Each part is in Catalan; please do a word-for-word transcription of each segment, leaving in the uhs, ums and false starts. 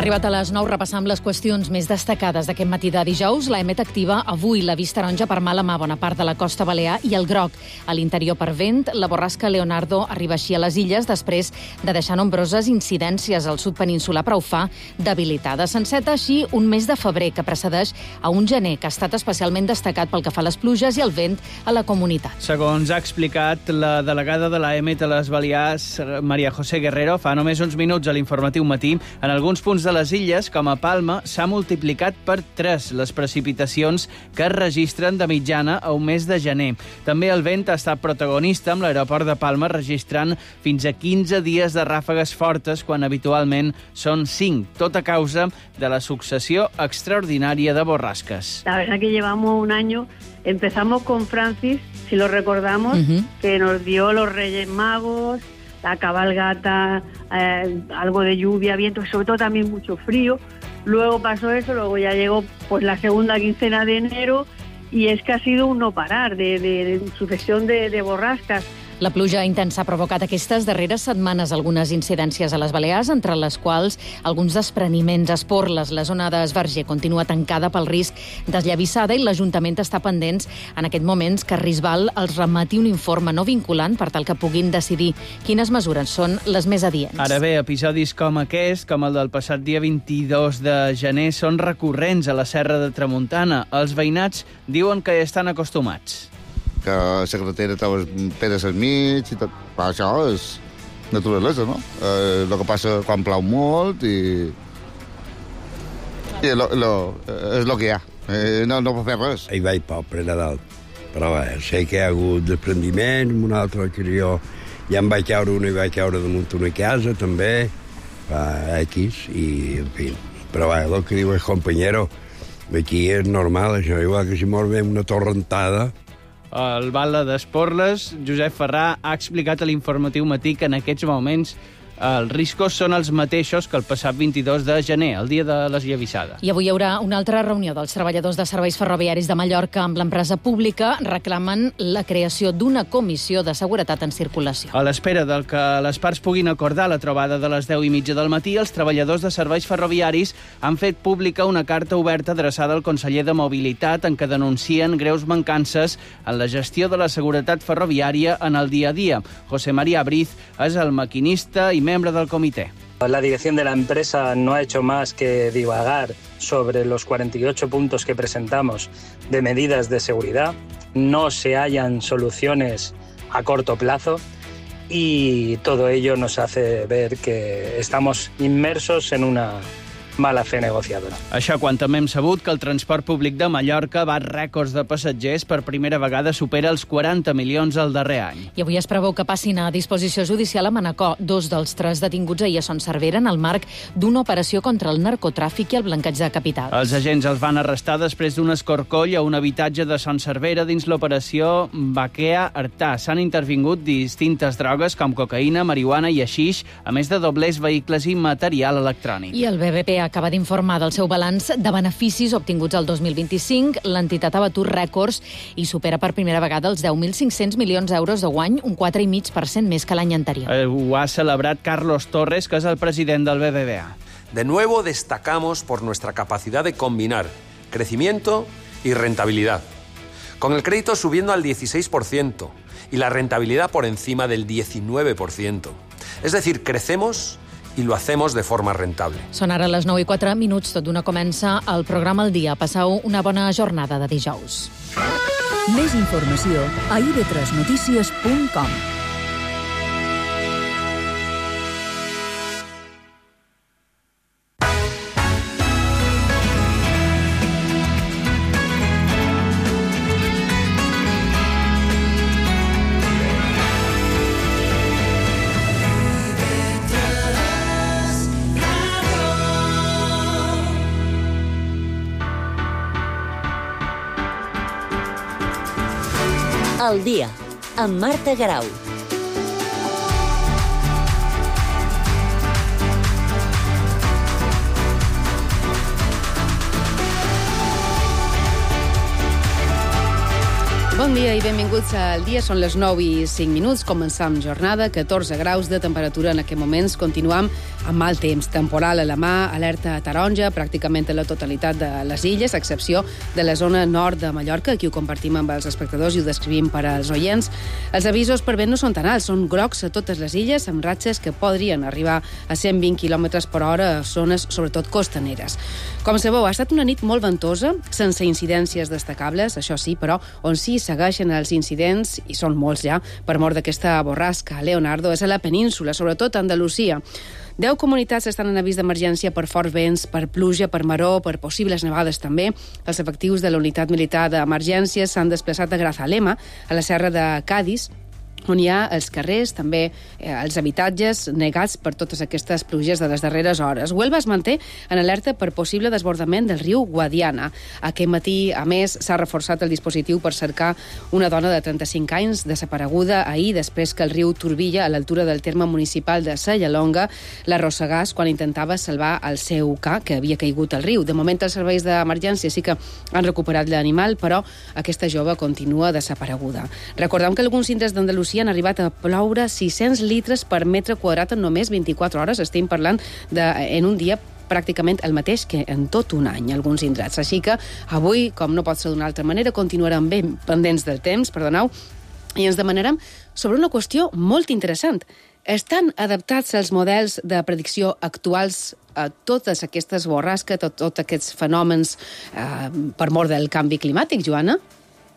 arribat a les nou, repassant les qüestions més destacades d'aquest matí de dijous. La EMET activa avui l'avís taronja per mala mà a bona part de la costa balear i el groc a l'interior per vent. La borrasca Leonardo arriba així a les illes després de deixar nombroses incidències al sud peninsular, però ho fa debilitada. S'enceta així un mes de febrer que precedeix a un gener que ha estat especialment destacat pel que fa a les pluges i el vent a la comunitat. Segons ha explicat la delegada de la EMET a les Balears, Maria José Guerrero, fa només uns minuts a l'informatiu matí, en alguns punts de les illes, com a Palma, s'ha multiplicat per tres les precipitacions que es registren de mitjana a un mes de gener. També el vent ha estat protagonista amb l'aeroport de Palma, registrant fins a quinze dies de ràfegues fortes, quan habitualment són cinc, tot a causa de la successió extraordinària de borrasques. La verdad que llevamos un año, empezamos con Francis, si lo recordamos, uh-huh. que nos dio los Reyes Magos, la cabalgata, eh, algo de lluvia, viento, sobre todo también mucho frío. Luego pasó eso, luego ya llegó pues la segunda quincena de enero y es que ha sido un no parar de, de, de sucesión de, de borrascas. La pluja intensa ha provocat aquestes darreres setmanes algunes incidències a les Balears, entre les quals alguns despreniments, esporles. La zona d'Esverger continua tancada pel risc d'esllavissada i l'Ajuntament està pendents en aquest moments que Risbal els remati un informe no vinculant per tal que puguin decidir quines mesures són les més adients. Ara bé, episodis com aquest, com el del passat dia vint-i-dos de gener, són recurrents a la Serra de Tramuntana. Els veïnats diuen que hi estan acostumats. Que la carretera trobes pedres al mig i tot. Però això és naturalesa, no? Eh, el que passa quan plau molt i... i lo, lo, és el que hi ha. Eh, no, no pot fer res. Hi vaig poc per Nadal. Però bé, sé que hi ha hagut desprendiment, amb una altra que jo ja em vaig caure una i vaig caure damunt una casa, també, fa X, i en fi. Però bé, el que diu el companyero, aquí és normal, això, igual que si mor bé una torrentada. El Bala d'Esporles, Josep Ferrà, ha explicat a l'informatiu matí que en aquests moments els riscos són els mateixos que el passat vint-i-dos de gener, el dia de l'esllavissada. I avui hi haurà una altra reunió dels treballadors de serveis ferroviaris de Mallorca amb l'empresa pública. Reclamen la creació d'una comissió de seguretat en circulació. A l'espera del que les parts puguin acordar la trobada de les deu i mitja del matí, els treballadors de serveis ferroviaris han fet pública una carta oberta adreçada al conseller de Mobilitat en què denuncien greus mancances en la gestió de la seguretat ferroviària en el dia a dia. José María Briz és el maquinista i membre del comité. La dirección de la empresa no ha hecho más que divagar sobre los cuarenta y ocho puntos que presentamos de medidas de seguridad. No se hallan soluciones a corto plazo y todo ello nos hace ver que estamos inmersos en una mala fe negociadora. Això quan també hem sabut que el transport públic de Mallorca bat rècords de passatgers, per primera vegada supera els quaranta milions el darrer any. I avui es preveu que passin a disposició judicial a Manacor dos dels tres detinguts ahir a Son Servera en el marc d'una operació contra el narcotràfic i el blanqueig de capitals. Els agents els van arrestar després d'un escorcoll a un habitatge de Son Servera dins l'operació Baquea Artà. S'han intervingut distintes drogues com cocaïna, marihuana i haixix, a més de doblers, vehicles i material electrònic. I el B B P acaba d'informar del seu balanç de beneficis obtinguts el dos mil vint-i-cinc. L'entitat ha batut rècords i supera per primera vegada els deu mil cinc-cents milions d'euros de guany, un quatre coma cinc per cent més que l'any anterior. Eh, ho ha celebrat Carlos Torres, que és el president del B B V A. De nuevo destacamos por nuestra capacidad de combinar crecimiento y rentabilidad, con el crédito subiendo al dieciséis por ciento y la rentabilidad por encima del diecinueve por ciento. Es decir, crecemos i lo hacemos de forma rentable. Són ara les nou i quatre minuts, tot d'una comença el programa al dia. Passeu una bona jornada de dijous. Més informació a i de tres notícies punt com. El dia, amb Marta Garau. Bon dia i benvinguts al dia. Són les nou i cinc minuts. Començam jornada, catorze graus de temperatura en aquests moments. Continuam amb mal temps. Temporal a la mà, alerta taronja, pràcticament a la totalitat de les illes, a excepció de la zona nord de Mallorca. Aquí ho compartim amb els espectadors i ho descrivim per als oients. Els avisos per vent no són tan alts, són grocs a totes les illes, amb ratxes que podrien arribar a cent vint quilòmetres per hora a zones, sobretot costaneres. Com sabeu, ha estat una nit molt ventosa, sense incidències destacables, això sí, però on sí segueixen els incidents, i són molts ja, per mort d'aquesta borrasca Leonardo, és a la península, sobretot a Andalusia. Deu comunitats estan en avís d'emergència per forts vents, per pluja, per maror, per possibles nevades també. Els efectius de la unitat militar d'emergències s'han desplaçat a Grazalema, a la serra de Cádiz, on hi ha els carrers, també eh, els habitatges negats per totes aquestes pluges de les darreres hores. Huelva es manté en alerta per possible desbordament del riu Guadiana. Aquest matí, a més, s'ha reforçat el dispositiu per cercar una dona de trenta-cinc anys desapareguda ahir després que el riu Turbilla, a l'altura del terme municipal de Sallalonga, l'arrossegàs quan intentava salvar el seu ca, que havia caigut al riu. De moment, els serveis d'emergència sí que han recuperat l'animal, però aquesta jove continua desapareguda. Recordem que alguns indrets d'Andalusia han arribat a ploure sis-cents litres per metre quadrat en només vint-i-quatre hores. Estem parlant de, en un dia pràcticament el mateix que en tot un any, alguns indrets. Així que avui, com no pot ser d'una altra manera, continuarem ben pendents del temps, perdoneu, i ens demanarem sobre una qüestió molt interessant. Estan adaptats els models de predicció actuals a totes aquestes borrasques, a tots aquests fenòmens eh, per mort del canvi climàtic, Joana?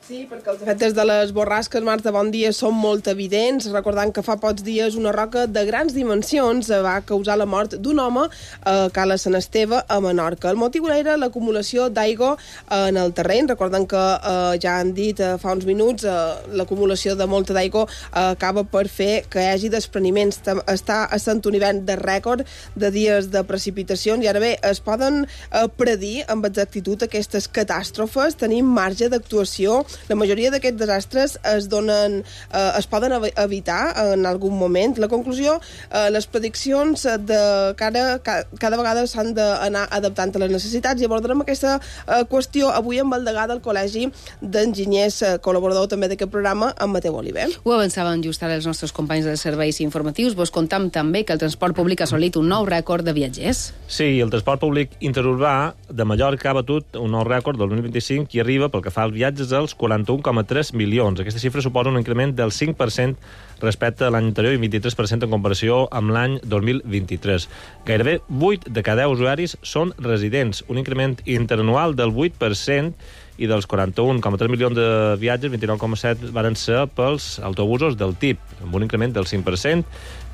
Sí, perquè els efectes de les borrasques, Marta, bon dia, són molt evidents. Recordant que fa pocs dies una roca de grans dimensions va causar la mort d'un home a Cala Sant Esteve, a Menorca. El motiu era l'acumulació d'aigua en el terreny. Recordant que eh, ja han dit eh, fa uns minuts, eh, l'acumulació de molta d'aigua eh, acaba per fer que hi hagi despreniments. Està essent un hivern de rècord de dies de precipitacions i ara bé, es poden eh, predir amb exactitud aquestes catàstrofes. Tenim marge d'actuació. La majoria d'aquests desastres es donen, eh, es poden evitar en algun moment. La conclusió, eh, les prediccions de cara, cada vegada s'han d'anar adaptant a les necessitats i abordarem aquesta eh, qüestió avui amb el degà del Col·legi d'Enginyers, eh, col·laborador també d'aquest programa, amb Mateu Oliver. Ho avançaven just ara els nostres companys dels serveis informatius. Vos contam també que el transport públic ha assolit un nou rècord de viatgers. Sí, el transport públic interurbà de Mallorca ha batut un nou rècord del dos mil vint-i-cinc i arriba, pel que fa als viatges, als quaranta-un coma tres milions. Aquesta xifra suposa un increment del cinc per cent respecte a l'any anterior i vint-i-tres per cent en comparació amb l'any dos mil vint-i-tres. Gairebé vuit de cada deu usuaris són residents, un increment interanual del vuit per cent, i dels quaranta-un coma tres milions de viatges, vint-i-nou coma set van ser pels autobusos del T I P, amb un increment del cinc per cent,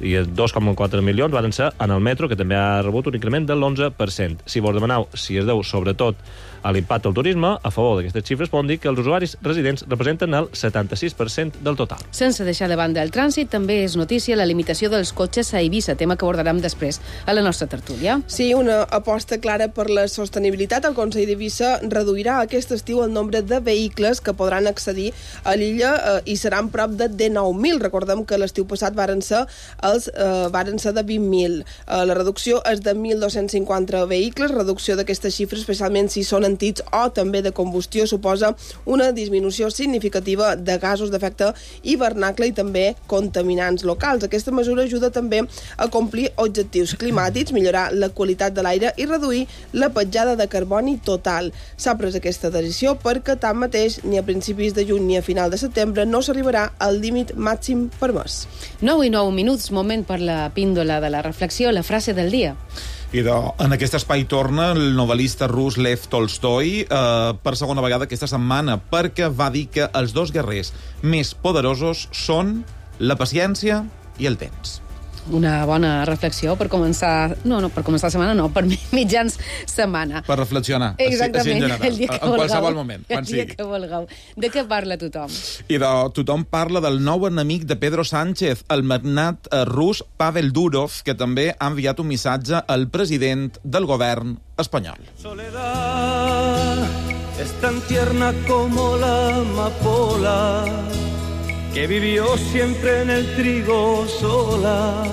i dos coma quatre milions van ser en el metro, que també ha rebut un increment de l'onze per cent. Si vos demaneu si es deu sobretot a l'impacte del turisme, a favor d'aquestes xifres poden dir que els usuaris residents representen el setanta-sis per cent del total. Sense deixar de banda el trànsit, també és notícia la limitació dels cotxes a Eivissa, tema que abordarem després a la nostra tertúlia. Sí, una aposta clara per la sostenibilitat. El Consell d'Eivissa reduirà aquest estiu el nombre de vehicles que podran accedir a l'illa eh, i seran prop de dinou mil. Recordem que l'estiu passat varen ser, els, eh, varen ser de vint mil. Eh, la reducció és de mil dos-cents cinquanta vehicles, reducció d'aquesta xifra, especialment si són antics o també de combustió, suposa una disminució significativa de gasos d'efecte hivernacle i també contaminants locals. Aquesta mesura ajuda també a complir objectius climàtics, millorar la qualitat de l'aire i reduir la petjada de carboni total. S'ha pres aquesta decisió perquè tanmateix ni a principis de juny ni a final de setembre no s'arribarà al límit màxim permès. nou i nou minuts, moment per la píndola de la reflexió, la frase del dia. I de, en aquest espai torna el novel·lista rus Lev Tolstoi eh, per segona vegada aquesta setmana, perquè va dir que els dos guerrers més poderosos són la paciència i el temps. Una bona reflexió per començar... No, no, per començar setmana no, per mitjans setmana. Per reflexionar. Exactament, general, el dia que en vulgueu. qualsevol moment, quan el dia sigui. que vulgueu. De què parla tothom? I de tothom parla del nou enemic de Pedro Sánchez, el magnat eh, rus Pavel Durov, que també ha enviat un missatge al president del govern espanyol. Soledad es tan tierna como la amapola que vivió siempre en el trigo sola.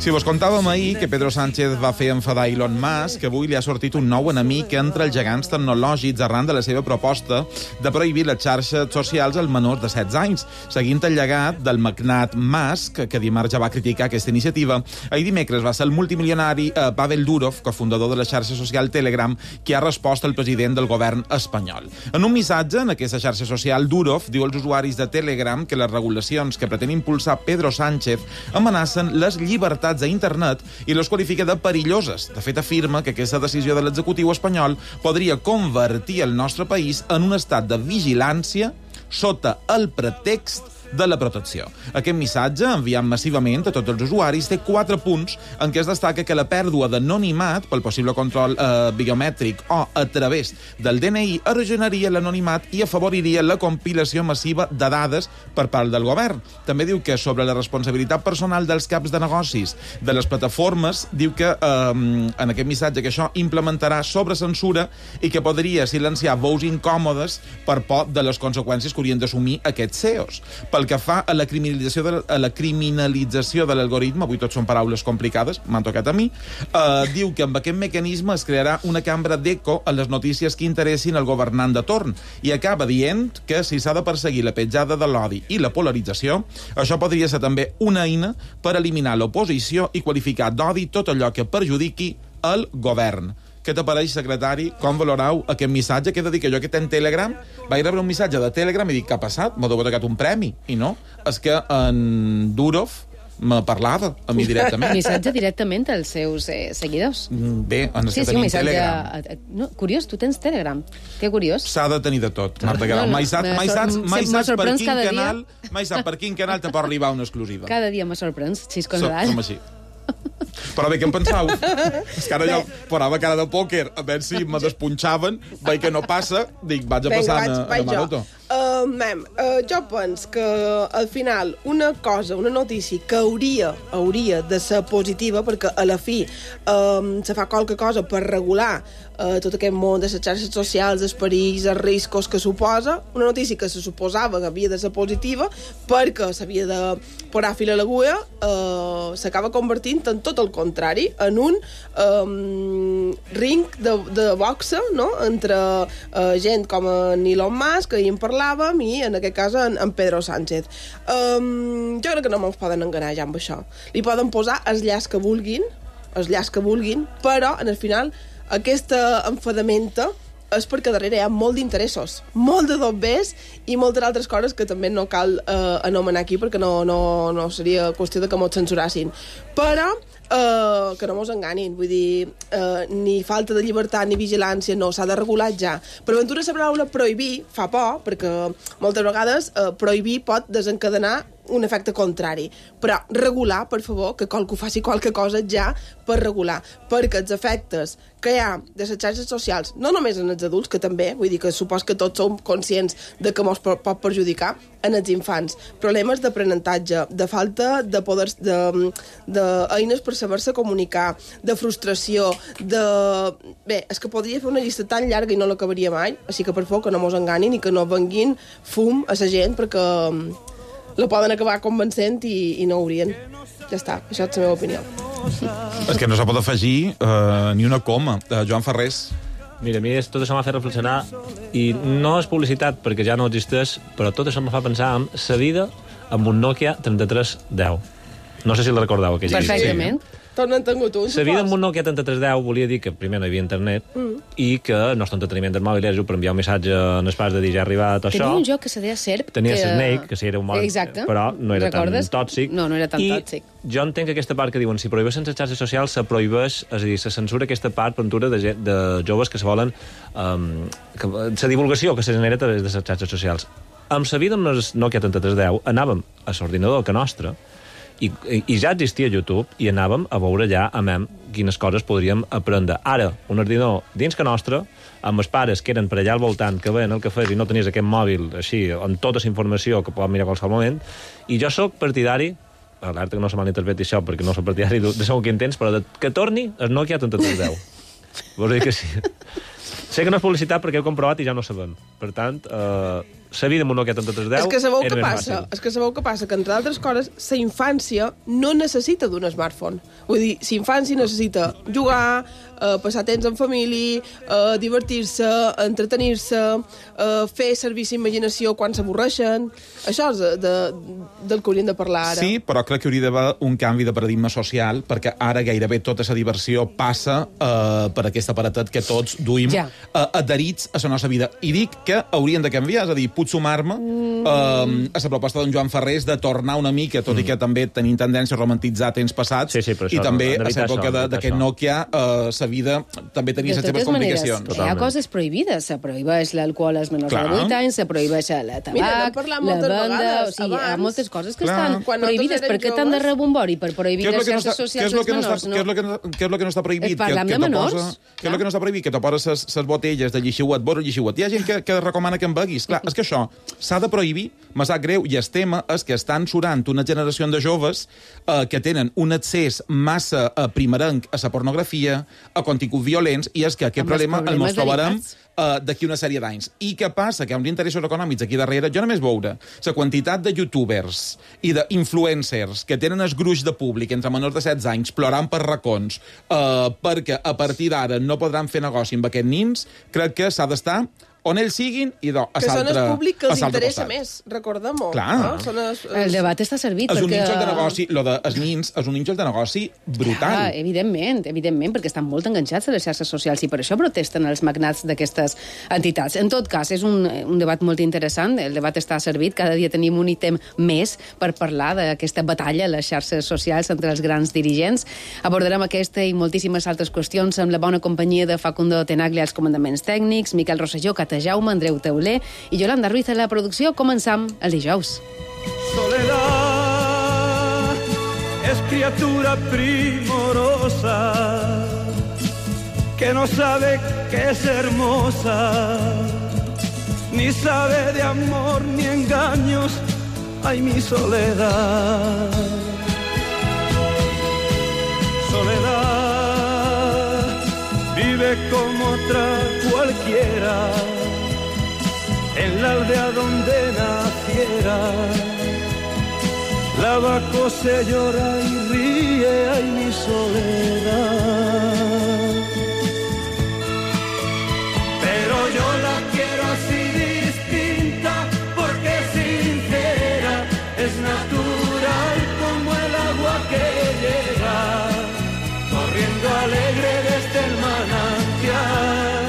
Si vos contàvem ahir que Pedro Sánchez va fer enfadar Elon Musk, que avui li ha sortit un nou enemic entre els gegants tecnològics arran de la seva proposta de prohibir les xarxes socials als menors de setze anys. Seguint el llegat del magnat Musk, que dimarts ja va criticar aquesta iniciativa, ahir dimecres va ser el multimilionari eh, Pavel Durov, cofundador de la xarxa social Telegram, qui ha respost al president del govern espanyol. En un missatge en aquesta xarxa social, Durov diu als usuaris de Telegram que les regulacions que pretén impulsar Pedro Sánchez amenacen les llibertats a internet i les qualifica de perilloses. De fet, afirma que aquesta decisió de l'executiu espanyol podria convertir el nostre país en un estat de vigilància sota el pretext de la protecció. Aquest missatge, enviat massivament a tots els usuaris, té quatre punts en què es destaca que la pèrdua d'anonimat pel possible control eh, biomètric o a través del D N I erosionaria l'anonimat i afavoriria la compilació massiva de dades per part del govern. També diu que sobre la responsabilitat personal dels caps de negocis de les plataformes, diu que eh, en aquest missatge que això implementarà sobrecensura i que podria silenciar veus incòmodes per por de les conseqüències que haurien d'assumir aquests C E Os. Pel que fa a la criminalització de, a la criminalització de l'algoritme, avui tot són paraules complicades, m'han tocat a mi, eh, diu que amb aquest mecanisme es crearà una cambra d'eco a les notícies que interessin al governant de torn i acaba dient que si s'ha de perseguir la petjada de l'odi i la polarització, això podria ser també una eina per eliminar l'oposició i qualificar d'odi tot allò que perjudiqui el govern. Què t'apareix, secretari? Com valorau aquest missatge? Què he de dir? Que jo que tenc Telegram vaig rebre un missatge de Telegram i dic, què ha passat? M'ha tocat un premi. I no, és que en Durov me parlava a mi directament. Missatge directament als seus eh, seguidors. Bé, en sí, que sí, tenim missatge... Telegram. No, curiós, tu tens Telegram. Que curiós. S'ha de tenir de tot, Marta Guerau. No, no, mai saps, mai saps, mai saps per quin canal, mai saps per quin canal te pot arribar una exclusiva. Cada dia me sorprens, xis con l'edad. Som així. Però bé, què em pensau? És que ara jo posava cara de pòquer a veure si me despunxaven, veig que no passa, dic, vaig a passar a, a Maroto. Uh, mem, uh, jo penso que al final una cosa, una notícia que hauria hauria de ser positiva, perquè a la fi um, se fa qualque cosa per regular uh, tot aquest món de les xarxes socials, els perills, els riscos que suposa, una notícia que se suposava que havia de ser positiva perquè s'havia de posar fil a l'agulla, uh, s'acaba convertint en tot el contrari, en un um, ring de, de boxa, no?, entre uh, gent com en Elon Musk, que hi en parlàvem, i en aquest cas en, en Pedro Sánchez. Um, jo crec que no me'ls poden enganar ja amb això. Li poden posar els llaç que vulguin, els llaç que vulguin, però, en el final, aquesta enfadamenta és perquè darrere hi ha molt d'interessos, molt de dobbers i moltes altres coses que també no cal eh, anomenar aquí perquè no, no, no seria qüestió de que mos censurassin. Però eh, que no mos enganin, vull dir, eh, ni falta de llibertat ni vigilància, no, s'ha de regular ja. Per aventura la paraula prohibir fa por, perquè moltes vegades eh, prohibir pot desencadenar un efecte contrari. Però regular, per favor, que qualcú faci qualque cosa ja per regular, perquè els efectes que hi ha de les xarxes socials, no només en els adults, que també, vull dir que supos que tots som conscients de que ens pot perjudicar, en els infants. Problemes d'aprenentatge, de falta de poders, de, de eines per saber-se comunicar, de frustració, de... Bé, és que podria fer una llista tan llarga i no l'acabaria mai, així que per favor que no mos enganin i que no venguin fum a la gent, perquè la poden acabar convencent i, i no haurien. Ja està, això és la meva opinió. És que no se pot afegir uh, ni una coma. Uh, Joan Ferrés. Mira, a mi tot això m'ha fet reflexionar i no és publicitat perquè ja no existeix, però tot això em fa pensar en la vida amb un Nokia trenta-tres deu. No sé si la recordeu, aquella. Perfectament. Sí. Tots n'han tingut un, la vida amb un Nokia trenta-tres deu volia dir que primer no hi havia internet mm. i que el nostre entreteniment del mòbil era per enviar un missatge en els pas de dir ja ha arribat això. Tenia un joc que se deia Serp. Tenia que... Snake, que sí era un mòbil, exacte. Però no era Recordes? tan tòxic. No, no era tan I tòxic. Jo entenc que aquesta part que diuen si prohibeixen les xarxes socials se prohibeix, és a dir, se censura aquesta part per ventura de, de joves que se volen um, que, la divulgació que se genera a través de les xarxes socials. Amb la vida amb el Nokia trenta-tres deu anàvem a l'ordinador que nostre I, i ja existia YouTube i anàvem a veure ja amb quines coses podríem aprendre. Ara, un ordinador dins que nostre, amb els pares que eren per allà al voltant, que veien el que fes i no tenies aquest mòbil així, amb tota la informació que poden mirar a qualsevol moment, i jo sóc partidari, alerta que no se malinterpreti això perquè no soc partidari de segur que entens, però de, que torni el Nokia trenta-tres deu. Vols dir que sí. Sé que no és publicitat perquè heu comprovat i ja no sabem. Per tant, eh, la vida amb un Nokia trenta-tres deu és que sabeu era què més passa? fàcil. És que sabeu què passa? Que, entre altres coses, la infància no necessita d'un smartphone. Vull dir, la infància necessita jugar, eh, passar temps en família, eh, divertir-se, entretenir-se, eh, fer servir la imaginació quan s'avorreixen. Això és de, de, del que hauríem de parlar ara. Sí, però crec que hauria d'haver un canvi de paradigma social, perquè ara gairebé tota la diversió passa eh, per aquest aparatet que tots duim Ja. eh, adherits a la nostra vida. I dic que haurien de canviar, és a dir, puc sumar-me mm. eh, a la proposta d'en Joan Ferrés de tornar una mica, tot mm. i que també tenim tendència a romantitzar temps passats, Sí, sí, però i això, també no, a l'època això, d'aquest això. Nokia eh, la vida també tenia les seves complicacions. Maneres, hi ha coses prohibides. Se prohibeix l'alcohol als menors Clar. de vuit anys, se prohibeix la tabac, Mira, n'hem parlat la moltes venda... vegades, O sigui, hi ha abans. moltes coses que Clar. estan Quan nosaltres prohibides. érem Per què tant de joves- rebombori per prohibir Què és, les lo que no xarxes està, què, socials és lo als que no està, menors? què, és lo que no, què és lo que no està prohibit? Eh, parlem que, de que te menors. Posa, què és lo que no està prohibit? Que te poses les botelles de llixiuet, vora llixiuet. Hi ha gent que, que recomana que en beguis. Clar, és que això s'ha de prohibir, me sap greu, i el tema és que estan surant una generació de joves eh, que tenen un accés massa eh, primerenc a la pornografia, a continguts violents, i és que aquest Amb els problema el problemes mos trobarem derivats. uh, d'aquí una sèrie d'anys. I què passa? Que hi ha uns interessos econòmics aquí darrere. Jo només veure la quantitat de youtubers i d'influencers que tenen el gruix de públic entre menors de setze anys plorant per racons uh, perquè a partir d'ara no podran fer negoci amb aquests nins, crec que s'ha d'estar on ells siguin i do, a Que són el públic que els interessa costat. més, recordem-ho. Clar. No? Són els, els... El debat està servit És un perquè... nínxol de negoci, lo de els nins és un nínxol de negoci brutal. Ah, evidentment, evidentment, perquè estan molt enganxats a les xarxes socials i per això protesten els magnats d'aquestes entitats. En tot cas, és un, un debat molt interessant, el debat està servit, cada dia tenim un ítem més per parlar d'aquesta batalla a les xarxes socials entre els grans dirigents. Abordarem aquesta i moltíssimes altres qüestions amb la bona companyia de Facundo Tenaglia als comandaments tècnics, Miquel Rosselló, Cata Jaume, Andreu Teuler i Yolanda Ruiz a la producció. Començam el dijous. Soledad es criatura primorosa que no sabe que es hermosa, ni sabe de amor ni engaños. Ay, mi soledad. Soledad vive como otra cualquiera en la aldea donde naciera. Lavaco se llora y ríe, ay, mi soledad. Pero yo la quiero así distinta, porque es sincera, es natural como el agua que llega, corriendo alegre desde el manantial.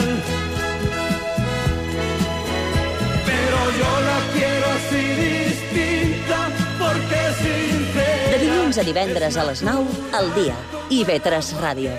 Pero yo la quiero así distinta, porque es sincera. De dilluns a divendres a les nou, al dia. I ve tres Ràdio.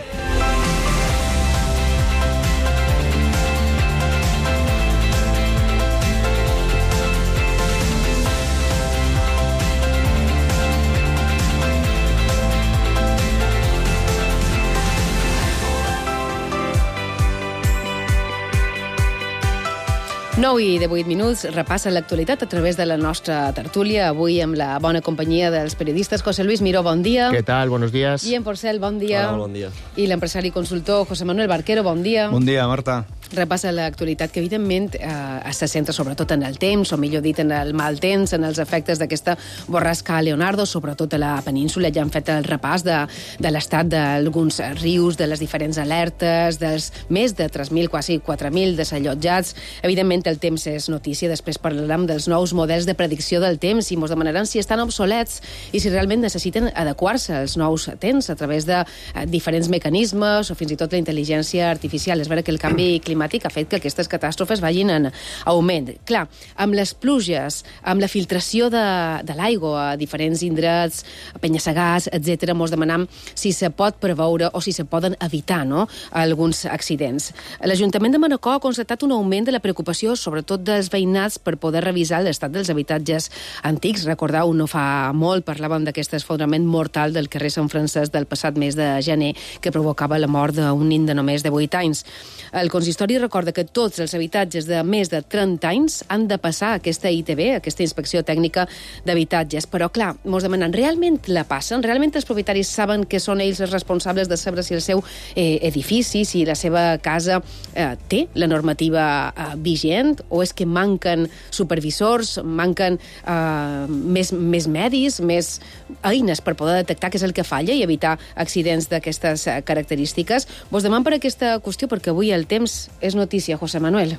nou i divuit minuts, repassa l'actualitat a través de la nostra tertúlia, avui amb la bona companyia dels periodistes. José Luis Miró, bon dia. ¿Qué tal? Buenos días. Guillem Porcel, bon dia. Hola, bon dia. I l'empresari i consultor José Manuel Barquero, bon dia. Bon dia, Marta. Repassa l'actualitat que, evidentment, eh, se centra sobretot en el temps, o millor dit, en el mal temps, en els efectes d'aquesta borrasca Leonardo, sobretot a la península. Ja han fet el repàs de, de l'estat d'alguns rius, de les diferents alertes, dels més de tres mil, quasi quatre mil desallotjats. Evidentment, el temps és notícia. Després parlarem dels nous models de predicció del temps i ens demanaran si estan obsolets i si realment necessiten adequar-se als nous temps a través de eh, diferents mecanismes o fins i tot la intel·ligència artificial. És vera que el canvi climàtic ha fet que aquestes catàstrofes vagin en augment. Clar, amb les pluges, amb la filtració de, de l'aigua a diferents indrets, penya-segats, etcètera, ens demanem si se pot preveure o si se poden evitar, no?, alguns accidents. L'Ajuntament de Manacor ha constatat un augment de la preocupació, sobretot dels veïnats, per poder revisar l'estat dels habitatges antics. Recordeu, no fa molt parlàvem d'aquest esfondrament mortal del carrer Sant Francesc del passat mes de gener que provocava la mort d'un nen de només de vuit anys. El consistori Manuel hi recorda que tots els habitatges de més de trenta anys han de passar aquesta I T B, aquesta inspecció tècnica d'habitatges. Però, clar, mos demanen, realment la passen? Realment els propietaris saben que són ells els responsables de saber si el seu eh, edifici, si la seva casa eh, té la normativa eh, vigent, o és que manquen supervisors, manquen eh, més, més medis, més eines per poder detectar què és el que falla i evitar accidents d'aquestes característiques? Vos demano per aquesta qüestió, perquè avui el temps és notícia, José Manuel.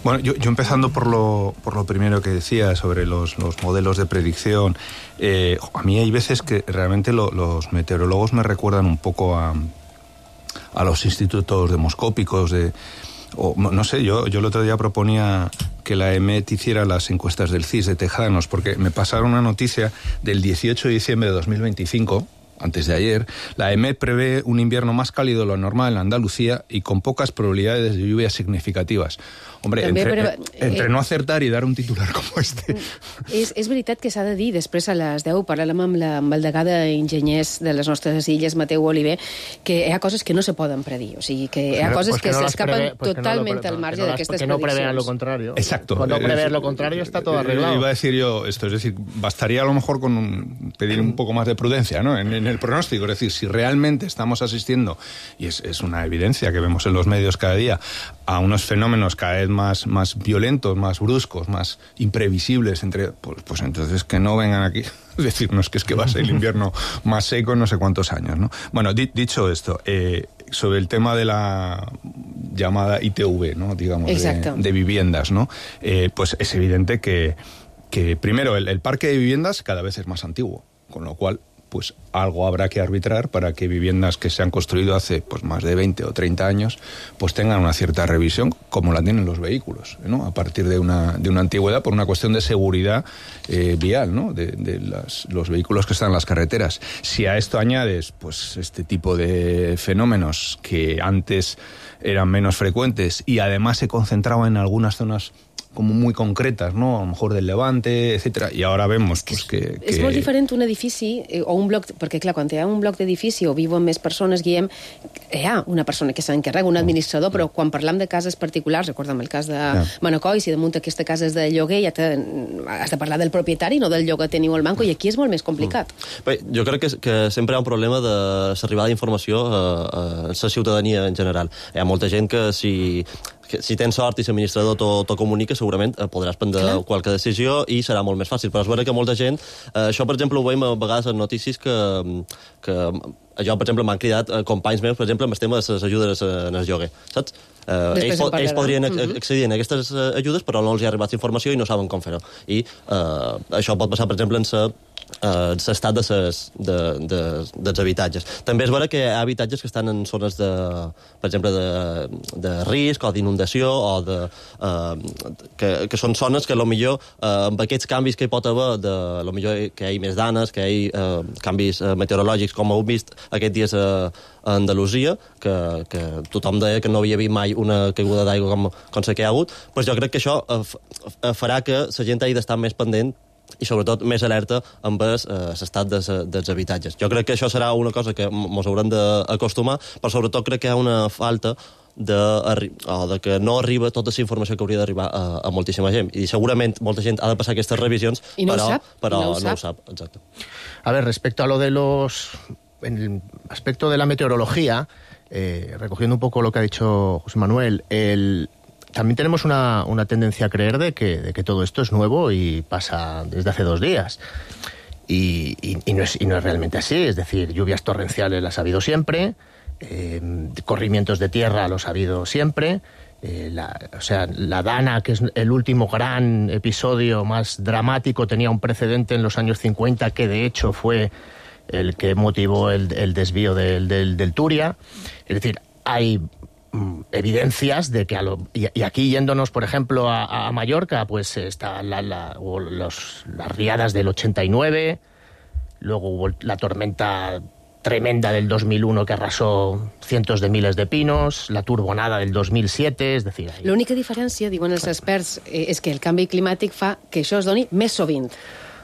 Bueno, yo, yo empezando por lo, por lo primero que decía sobre los, los modelos de predicción, eh, a mí hay veces que realmente lo, los meteorólogos me recuerdan un poco a, a los institutos demoscópicos de... O, no sé, yo, yo el otro día proponía que la E M E T hiciera las encuestas del C I S de Tejanos, porque me pasaron una noticia del dieciocho de diciembre de dos mil veinticinco, antes de ayer. La E M E T prevé un invierno más cálido de lo normal en Andalucía y con pocas probabilidades de lluvias significativas. Hombre, També, entre, però, eh, entre no acertar i dar un titular com este... És, és veritat que s'ha de dir, després a les deu parlàvem amb, la, amb el degà d'enginyers de les nostres illes, Mateu Oliver, que hi ha coses que no se poden predir, o sigui, que hi ha coses pues que, que no s'escapen pues totalment no al marge no d'aquestes prediccions. Que no prevean lo contrario. Exacto. Cuando prever lo contrario está todo arreglado. Iba a decir yo esto, es decir, bastaría a lo mejor con un, pedir un poco más de prudencia, ¿no? En, en el pronóstico, es decir, si realmente estamos asistiendo, y es, es una evidencia que vemos en los medios cada día, a unos fenómenos cada vez más, más violentos, más bruscos, más imprevisibles, entre pues, pues entonces que no vengan aquí a decirnos que es que va a ser el invierno más seco en no sé cuántos años, ¿no? Bueno, di, dicho esto, eh, sobre el tema de la llamada I T V, ¿no? Digamos, de, de viviendas, ¿no? Eh, pues es evidente que, que primero, el, el parque de viviendas cada vez es más antiguo, con lo cual pues algo habrá que arbitrar para que viviendas que se han construido hace pues más de veinte o treinta años pues tengan una cierta revisión, como la tienen los vehículos, ¿no? A partir de una, de una antigüedad, por una cuestión de seguridad eh, vial, ¿no? De, de las, los vehículos que están en las carreteras. Si a esto añades pues este tipo de fenómenos que antes eran menos frecuentes y además se concentraban en algunas zonas como muy concretas, ¿no? A lo mejor del Levante, etcétera, i ara vemos pues, que, que... És molt diferent un edifici eh, o un bloc, perquè clar, quan hi ha un bloc d'edifici o viuen més persones, Guillem, hi ha una persona que s'encarrega, un administrador, però quan parlam de cases particulars, recordem el cas de yeah. Manacor, si damunt aquesta casa és de lloguer, ja te, has de parlar del propietari, no del lloguer teniu al banco, i aquí és molt més complicat. Mm. Bé, jo crec que, que sempre hi ha un problema de l'arribada d'informació a, a la ciutadania en general. Hi ha molta gent que si... que si tens sort i l'administrador t'ho comunica, segurament podràs prendre Clar. qualque decisió i serà molt més fàcil. Però és vera que molta gent... Eh, això, per exemple, ho veiem a vegades en notícies que... que jo, per exemple, m'han cridat companys meus, per exemple, amb el tema de les ajudes en el lloguer, saps? Eh, ells, po ells podrien accedir a aquestes ajudes, però no els hi ha arribat informació i no saben com fer-ho. I eh, això pot passar, per exemple, en la Uh, l'estat de ses, de, de, dels habitatges. També és vera que hi ha habitatges que estan en zones de, per exemple, de, de risc o d'inundació o de, uh, que, que són zones que potser uh, amb aquests canvis que hi pot haver, de, potser que hi hagi més danes, que hi hagi uh, canvis uh, meteorològics, com heu vist aquests dies a, a Andalusia, que, que tothom deia que no havia vist mai una caiguda d'aigua com, com la que hi ha hagut, doncs jo crec que això uh, farà que la gent hagi d'estar més pendent i sobretot més alerta amb l'estat eh, dels, dels habitatges. Jo crec que això serà una cosa que ens haurem d'acostumar, però sobretot crec que hi ha una falta de, o de que no arriba tota la informació que hauria d'arribar a, a moltíssima gent. I segurament molta gent ha de passar aquestes revisions, I no però, ho sap. però no ho no sap. ho sap. Exacte. A ver, respecto a lo de los... En el aspecto de la meteorología, eh, recogiendo un poco lo que ha dicho José Manuel, el... También tenemos una, una tendencia a creer de que, de que todo esto es nuevo y pasa desde hace dos días. Y, y, y, no, es, y no es realmente así. Es decir, lluvias torrenciales las ha habido siempre, eh, corrimientos de tierra los ha habido siempre. Eh, la, o sea, la Dana, que es el último gran episodio más dramático, tenía un precedente en los años cincuenta que de hecho fue el que motivó el, el desvío del, del, del Turia. Es decir, hay evidencias de que a lo, y, y aquí yéndonos por ejemplo a, a Mallorca, pues está la, la, o los, las riadas del ochenta y nueve, luego hubo la tormenta tremenda del dos mil uno que arrasó cientos de miles de pinos, la turbonada del dos mil siete, és dir... L'única diferència, diuen els experts, és que el canvi climàtic fa que això es doni més sovint.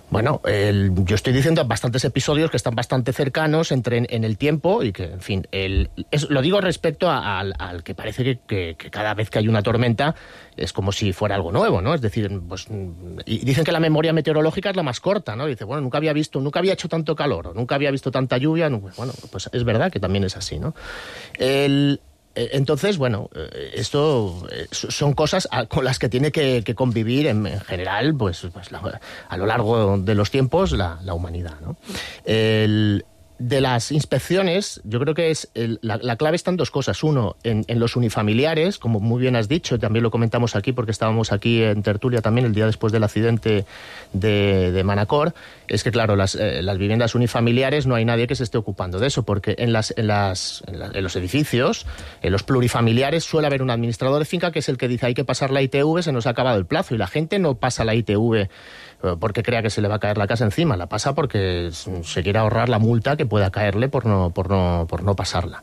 Bueno, el, yo estoy diciendo bastantes episodios que están bastante cercanos entre en, en el tiempo y que, en fin, el, es, lo digo respecto a, a, al, al que parece que, que, que cada vez que hay una tormenta es como si fuera algo nuevo, ¿no? Es decir, pues, y dicen que la memoria meteorológica es la más corta, ¿no? Dice, bueno, nunca había visto, nunca había hecho tanto calor, o nunca había visto tanta lluvia, no, bueno, pues es verdad que también es así, ¿no? El... Entonces, bueno, esto son cosas con las que tiene que, que convivir en, en general, pues, pues la, a lo largo de los tiempos, la, la humanidad, ¿no? El, de las inspecciones, yo creo que es el, la, la clave está en dos cosas. Uno, en, en los unifamiliares, como muy bien has dicho, también lo comentamos aquí porque estábamos aquí en tertulia también el día después del accidente de, de Manacor, es que claro, las, eh, las viviendas unifamiliares no hay nadie que se esté ocupando de eso, porque en, las, en, las, en, la, en los edificios, en los plurifamiliares, suele haber un administrador de finca que es el que dice hay que pasar la I T V, se nos ha acabado el plazo, y la gente no pasa la I T V porque crea que se le va a caer la casa encima, la pasa porque se quiere ahorrar la multa que pueda caerle por no, por no, por no pasarla.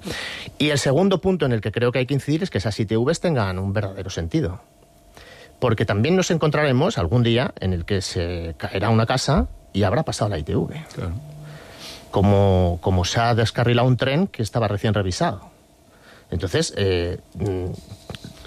Y el segundo punto en el que creo que hay que incidir es que esas I T Vs tengan un verdadero sentido. Porque también nos encontraremos algún día en el que se caerá una casa y habrá pasado la I T V. Claro. Como, como se ha descarrilado un tren que estaba recién revisado. Entonces, eh,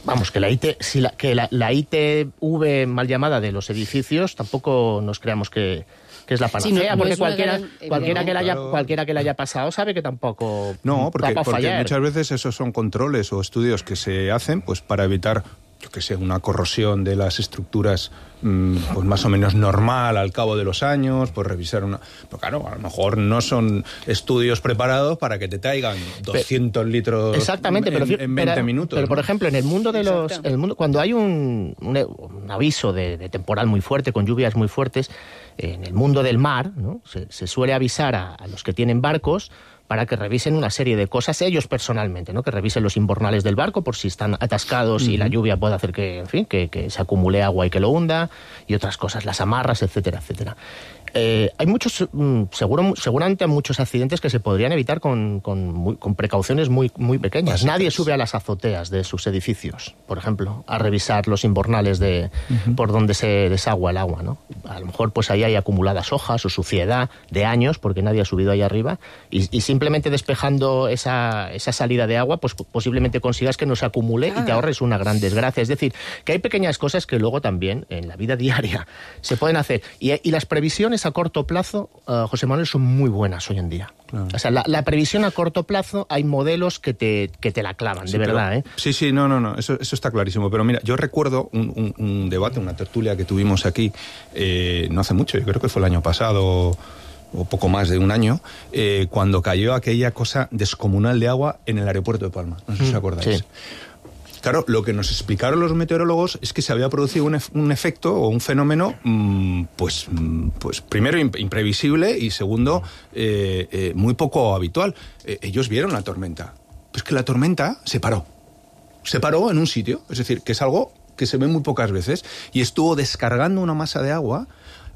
vamos, que la, I T, si la, que la, la I T V mal llamada de los edificios tampoco nos creamos que, que es la panacea, sí, no, no porque cualquiera, gran, cualquiera, que la haya, claro. cualquiera que la haya pasado sabe que tampoco no, porque, va a porque fallar. Muchas veces esos son controles o estudios que se hacen pues para evitar, yo que sé, una corrosión de las estructuras mmm, pues más o menos normal al cabo de los años, pues revisar una... Pero claro, a lo mejor no son estudios preparados para que te traigan doscientos pero, litros exactamente, en, pero, en veinte pero, minutos. Pero, ¿no? por ejemplo, en el mundo de los... En el mundo, cuando hay un, un, un aviso de, de temporal muy fuerte, con lluvias muy fuertes, en el mundo del mar, ¿no? se, se suele avisar a, a los que tienen barcos para que revisen una serie de cosas ellos personalmente, ¿no? Que revisen los imbornales del barco por si están atascados uh-huh. y la lluvia puede hacer que, en fin, que, que se acumule agua y que lo hunda, y otras cosas, las amarras, etcétera, etcétera. Eh, hay muchos, seguro, seguramente hay muchos accidentes que se podrían evitar con, con, muy, con precauciones muy, muy pequeñas. Así Nadie es. sube a las azoteas de sus edificios, por ejemplo, a revisar los imbornales de, uh-huh. por donde se desagua el agua, ¿no? A lo mejor pues ahí hay acumuladas hojas o suciedad de años porque nadie ha subido ahí arriba y, y simplemente despejando esa, esa salida de agua pues posiblemente consigas que no se acumule ah. y te ahorres una gran desgracia. Es decir, que hay pequeñas cosas que luego también en la vida diaria se pueden hacer. Y, y las previsiones a corto plazo, uh, José Manuel, son muy buenas hoy en día. Claro. O sea, la, la previsión a corto plazo, hay modelos que te, que te la clavan, sí, de verdad, pero, ¿eh? Sí, sí, no, no, no, eso, eso está clarísimo. Pero mira, yo recuerdo un, un, un debate, una tertulia que tuvimos aquí eh, no hace mucho, yo creo que fue el año pasado o poco más de un año, eh, cuando cayó aquella cosa descomunal de agua en el aeropuerto de Palma. No sé si os acordáis. Sí. Claro, lo que nos explicaron los meteorólogos es que se había producido un, ef- un efecto o un fenómeno, mmm, pues, mmm, pues primero imp- imprevisible y segundo eh, eh, muy poco habitual. Eh, ellos vieron la tormenta. Pues que la tormenta se paró. Se paró en un sitio, es decir, que es algo que se ve muy pocas veces y estuvo descargando una masa de agua,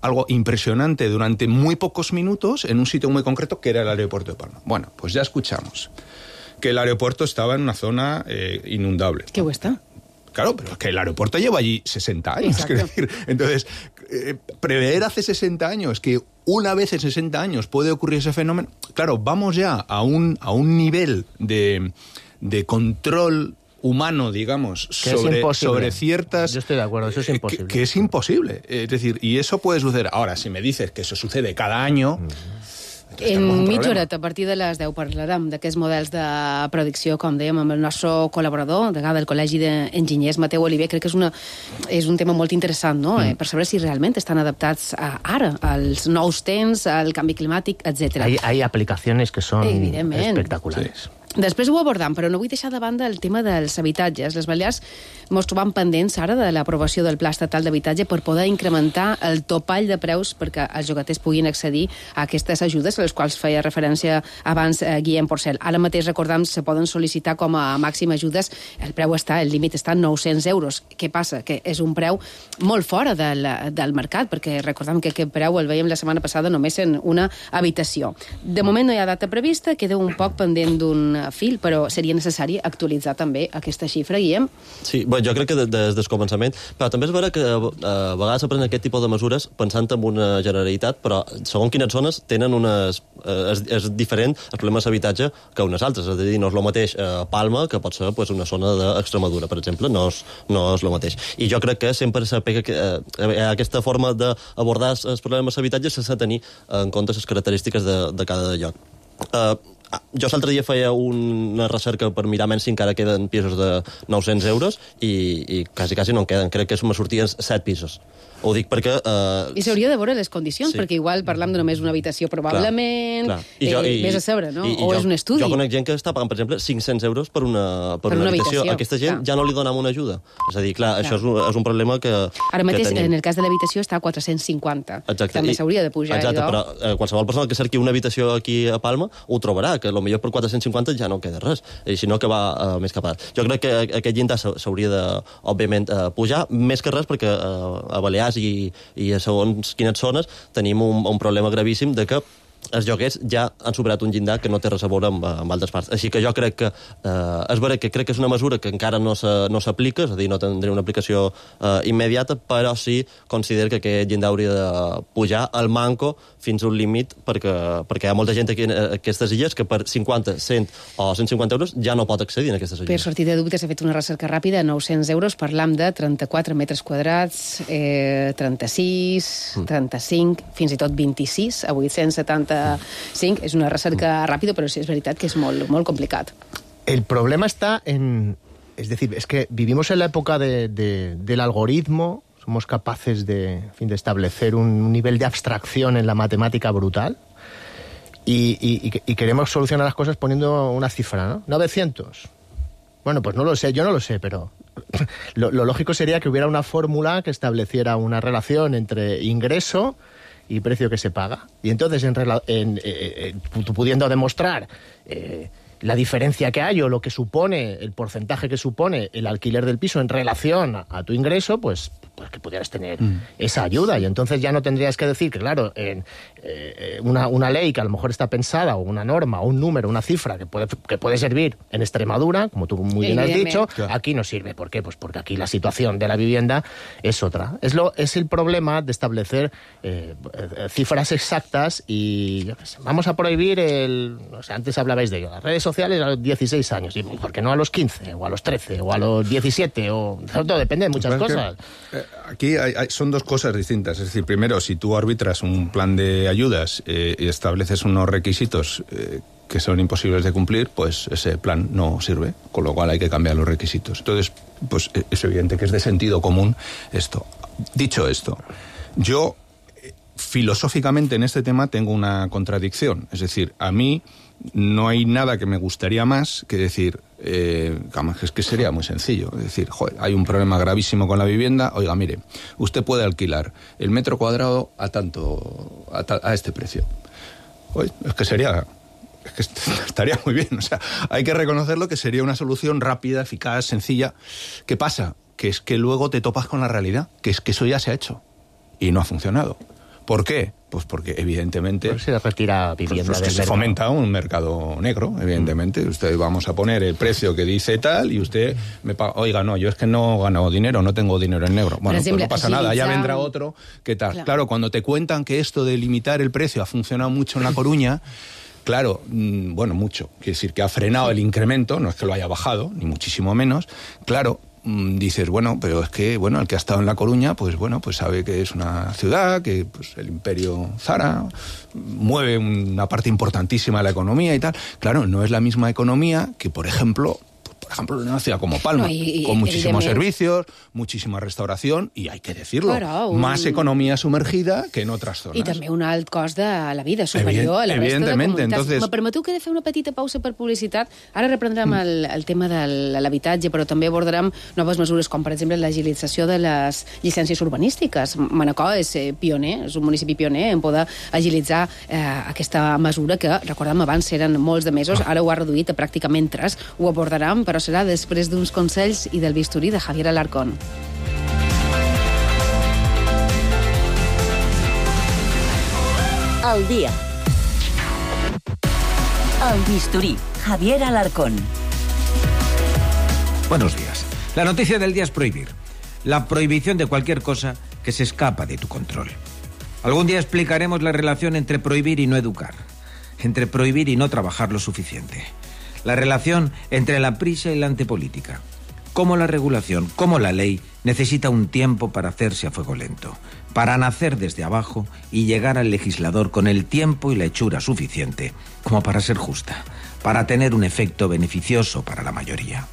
algo impresionante durante muy pocos minutos en un sitio muy concreto que era el aeropuerto de Palma. Bueno, pues ya escuchamos que el aeropuerto estaba en una zona eh, inundable. ¿Qué está? Claro, pero es que el aeropuerto lleva allí sesenta años. Quiero decir. Entonces, eh, prever hace sesenta años que una vez en sesenta años puede ocurrir ese fenómeno, claro, vamos ya a un, a un nivel de, de control humano, digamos, sobre, sobre ciertas... Yo estoy de acuerdo, eso es imposible. Que, que es imposible. Es decir, y eso puede suceder. Ahora, si me dices que eso sucede cada año... Mm. En mitja horeta, a partir de les deu, parlarem d'aquests models de predicció, com dèiem, amb el nostre col·laborador, degà del Col·legi d'Enginyers, Mateu Oliver. Crec que és, una, és un tema molt interessant, no? Mm. Eh, per saber si realment estan adaptats a, ara als nous temps, al canvi climàtic, etcètera. Hay, hay aplicaciones que son espectaculares. Sí. Després ho abordam, però no vull deixar de banda el tema dels habitatges. Les Balears ens trobam pendents ara de l'aprovació del Pla Estatal d'Habitatge per poder incrementar el topall de preus perquè els llogaters puguin accedir a aquestes ajudes, a les quals feia referència abans eh, Guillem Porcel. Ara mateix, recordam, se poden sol·licitar com a màxim ajudes. El preu està, el límit està en nou-cents euros. Què passa? Que és un preu molt fora del, del mercat, perquè recordam que aquest preu el veiem la setmana passada només en una habitació. De moment no hi ha data prevista, queda un poc pendent d'un fil, però seria necessari actualitzar també aquesta xifra, Guillem. Sí, bé, jo crec que des del començament, però també és vera que a vegades s'aprenen aquest tipus de mesures pensant en una generalitat, però segons quines zones tenen unes... És, és diferent el problema d'habitatge que unes altres, és a dir, no és el mateix a Palma que pot ser pues, una zona d'Extremadura, per exemple, no és, no és el mateix. I jo crec que sempre s'apega que eh, aquesta forma d'abordar els problemes d'habitatge s'ha de tenir en compte les característiques de, de cada lloc. Uh, jo l'altre dia feia una recerca per mirar menys si encara queden pisos de nou-cents euros i, i quasi, quasi no en queden. Crec que me sortien set pisos. Ho dic perquè... Uh, I s'hauria de veure les condicions, sí. perquè igual parlam de només una habitació probablement, clar, clar. I jo, eh, i, més a saber, no? I, i o jo, és un estudi. Jo conec gent que està pagant, per exemple, cinc-cents euros per una, per per una, una habitació. habitació. Aquesta gent clar. ja no li donam una ajuda. És a dir, clar, clar. això és un, és un problema que Ara mateix, que tenim. en el cas de l'habitació, està a quatre-cents cinquanta. Exacte. També s'hauria de pujar. Exacte, allò. però eh, qualsevol persona que cerqui una habitació aquí a Palma ho trobarà, que potser per quatre-cents cinquanta ja no queda res, i si no que va uh, més cap a... Jo crec que aquest llindar s'hauria de, òbviament, uh, pujar, més que res perquè uh, a Balears i, i a segons quines zones tenim un, un problema gravíssim de que els lloguers ja han superat un llindar que no té res a veure amb, amb altres parts. Així que jo crec que eh, és vera que crec que és una mesura que encara no s'aplica, no és a dir, no tindrà una aplicació eh, immediata, però sí considero que aquest llindar hauria de pujar al manco fins a un límit, perquè, perquè hi ha molta gent aquí en aquestes illes que per cinquanta, cent o cent cinquanta euros ja no pot accedir a aquestes illes. Per sortir de dubtes, he fet una recerca ràpida, nou-cents euros, parlam de trenta-quatre metres quadrats, eh, trenta-sis, trenta-cinc, fins i tot vint-i-sis, a vuit-cents setanta-cinc. És una recerca ràpida, pero sí es verdad que es muy, muy complicado. El problema está en... Es decir, es que vivimos en la época de, de, del algoritmo, somos capaces de, en fin, de establecer un nivel de abstracción en la matemática brutal y, y, y queremos solucionar las cosas poniendo una cifra, ¿no? novecientos. Bueno, pues no lo sé, yo no lo sé, pero lo, lo lógico sería que hubiera una fórmula que estableciera una relación entre ingreso y precio que se paga. Y entonces, en, en, eh, eh, pudiendo demostrar eh, la diferencia que hay o lo que supone, el porcentaje que supone el alquiler del piso en relación a, a tu ingreso, pues, pues que pudieras tener mm. esa ayuda. Y entonces ya no tendrías que decir que, claro, en, eh, una, una ley que a lo mejor está pensada, o una norma, o un número, una cifra que puede, que puede servir en Extremadura, como tú muy bien has dicho, claro. Aquí no sirve. ¿Por qué? Pues porque aquí la situación de la vivienda es otra. Es, lo, es el problema de establecer eh, cifras exactas y yo qué sé, vamos a prohibir el... O sea, antes hablabais de ello, las redes sociales a los dieciséis años, y ¿por qué no a los quince, o a los trece, o a los diecisiete? O... Todo depende de muchas cosas. Que, eh, aquí hay, hay, son dos cosas distintas. Es decir, primero, si tú arbitras un plan de ayudas eh, y estableces unos requisitos eh, que son imposibles de cumplir, pues ese plan no sirve, con lo cual hay que cambiar los requisitos. Entonces, pues es evidente que es de sentido común esto. Dicho esto, yo filosóficamente en este tema tengo una contradicción. Es decir, a mí no hay nada que me gustaría más que decir, eh, es que sería muy sencillo, es decir, joder, hay un problema gravísimo con la vivienda, oiga, mire, usted puede alquilar el metro cuadrado a tanto, a, ta, a este precio. Oye, es que sería... Es que estaría muy bien, o sea, hay que reconocerlo que sería una solución rápida, eficaz, sencilla. ¿Qué pasa? Que es que luego te topas con la realidad, que es que eso ya se ha hecho y no ha funcionado. ¿Por qué? Pues porque evidentemente pues se retira vivienda pues, pues se fomenta un mercado negro, evidentemente. Mm. Usted vamos a poner el precio que dice tal y usted me paga, oiga, no, yo es que no gano dinero, no tengo dinero en negro. Bueno, pues no pasa nada, ya vendrá otro, ¿qué tal? Claro. claro, cuando te cuentan que esto de limitar el precio ha funcionado mucho en La Coruña, claro, mmm, bueno, mucho, quiere decir que ha frenado el incremento, no es que lo haya bajado, ni muchísimo menos, claro. Dices, bueno, pero es que, bueno, el que ha estado en La Coruña, pues bueno, pues sabe que es una ciudad, que pues el imperio Zara mueve una parte importantísima de la economía y tal. Claro, no es la misma economía que, por ejemplo, por ejemplo, en una ciudad como Palma, no, y, y, con muchísimos servicios, muchísima restauración, y hay que decirlo, claro, un... más economía sumergida que en otras zonas. I també un alt cost de la vida superior Evident, a la resta de comunitats. Entonces... Me permeteu que he de fer una petita pausa per publicitat. Ara reprendrem mm. el, el tema de l'habitatge, però també abordarem noves mesures, com per exemple l'agilització de les llicències urbanístiques. Manacor és pioner, és un municipi pioner en poder agilitzar eh, aquesta mesura que, recordem, abans eren molts de mesos, ara ho ha reduït a pràcticament tres. Ho abordarem, però serà després d'uns consells i del bisturí de Javier Alarcón. El dia. El bisturí. Javier Alarcón. Buenos días. La noticia del día es prohibir. La prohibición de cualquier cosa que se escapa de tu control. Algún día explicaremos la relación entre prohibir y no educar. Entre prohibir y no trabajar lo suficiente. La relación entre la prisa y la antipolítica. Cómo la regulación, cómo la ley, necesita un tiempo para hacerse a fuego lento. Para nacer desde abajo y llegar al legislador con el tiempo y la hechura suficiente como para ser justa. Para tener un efecto beneficioso para la mayoría.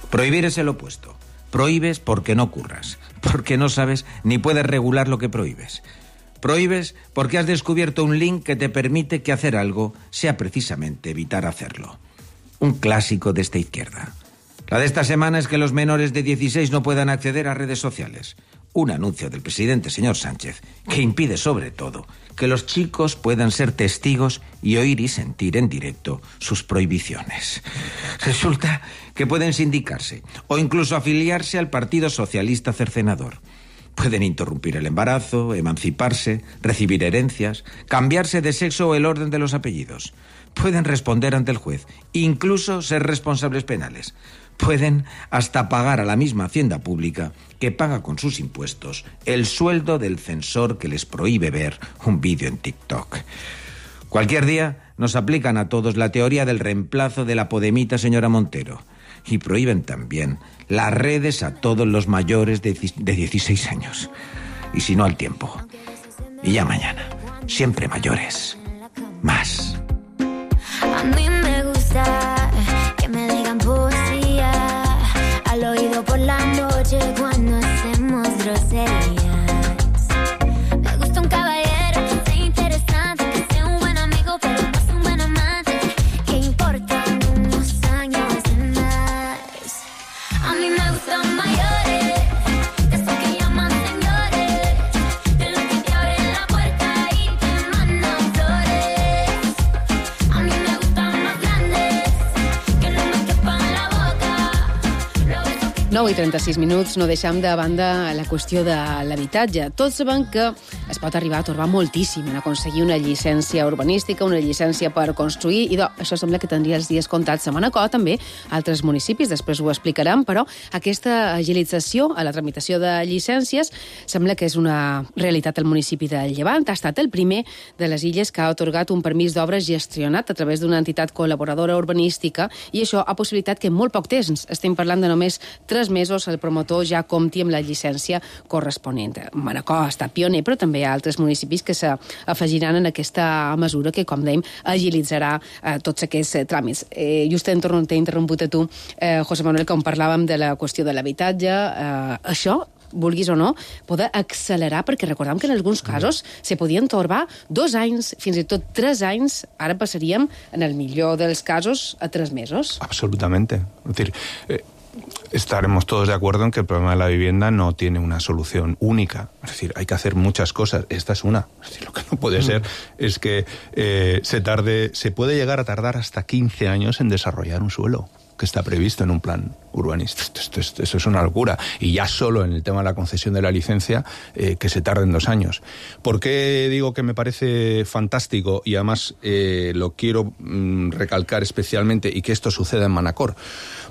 Prohibir es el opuesto. Prohíbes porque no curras, porque no sabes ni puedes regular lo que prohíbes. Prohíbes porque has descubierto un link que te permite que hacer algo sea precisamente evitar hacerlo. Un clásico de esta izquierda. La de esta semana es que los menores de dieciséis no puedan acceder a redes sociales. Un anuncio del presidente señor Sánchez que impide sobre todo que los chicos puedan ser testigos y oír y sentir en directo sus prohibiciones. Resulta que pueden sindicarse o incluso afiliarse al Partido Socialista Cercenador. Pueden interrumpir el embarazo, emanciparse, recibir herencias, cambiarse de sexo o el orden de los apellidos. Pueden responder ante el juez, incluso ser responsables penales. Pueden hasta pagar a la misma hacienda pública que paga con sus impuestos el sueldo del censor que les prohíbe ver un vídeo en TikTok. Cualquier día nos aplican a todos la teoría del reemplazo de la podemita señora Montero y prohíben también las redes a todos los mayores de dieciséis años. Y si no, al tiempo. Y ya mañana. Siempre mayores. Más. A mí me gusta que me digan poesía al oído por la noche cuando hacemos groserías. Me gusta un caballero que sea interesante, que sea un buen amigo pero más un buen amante, que importan unos años de más. A mí me gustan mayores, de esos que llaman señores, de los que te abren la puerta y te mandan flores. A mí me gustan más grandes, que no me quepan la boca. nou i trenta-sis minuts, no deixem de banda la qüestió de l'habitatge. Tots sabem que es pot arribar a torbar moltíssim en aconseguir una llicència urbanística, una llicència per construir, i do, això sembla que tindria els dies comptats a Manacor, també altres municipis, després ho explicarem, però aquesta agilització a la tramitació de llicències sembla que és una realitat al municipi de Llevant. Ha estat el primer de les illes que ha atorgat un permís d'obres gestionat a través d'una entitat col·laboradora urbanística, i això ha possibilitat que en molt poc temps, estem parlant de només tres mesos, el promotor ja compti amb la llicència corresponent. Manacor ha estat pioner, però també hi ha altres municipis que s'afegiran en aquesta mesura que, com dèiem, agilitzarà eh, tots aquests eh, tràmits. Eh, just t'he interromput a tu, eh, José Manuel, com parlàvem de la qüestió de l'habitatge. Eh, això, vulguis o no, poder accelerar, perquè recordem que en alguns casos se podien torbar dos anys, fins i tot tres anys, ara passaríem, en el millor dels casos, a tres mesos. Absolutamente. Es decir, eh, estaremos todos de acuerdo en que el problema de la vivienda no tiene una solución única. Es decir, hay que hacer muchas cosas. Esta es una. Es decir, lo que no puede ser es que eh, se tarde, se puede llegar a tardar hasta quince años en desarrollar un suelo que está previsto en un plan urbanístico. Esto, esto, esto, eso es una locura. Y ya solo en el tema de la concesión de la licencia, eh, que se tarden dos años. ¿Por qué digo que me parece fantástico? Y además eh, lo quiero mm, recalcar especialmente, y que esto suceda en Manacor.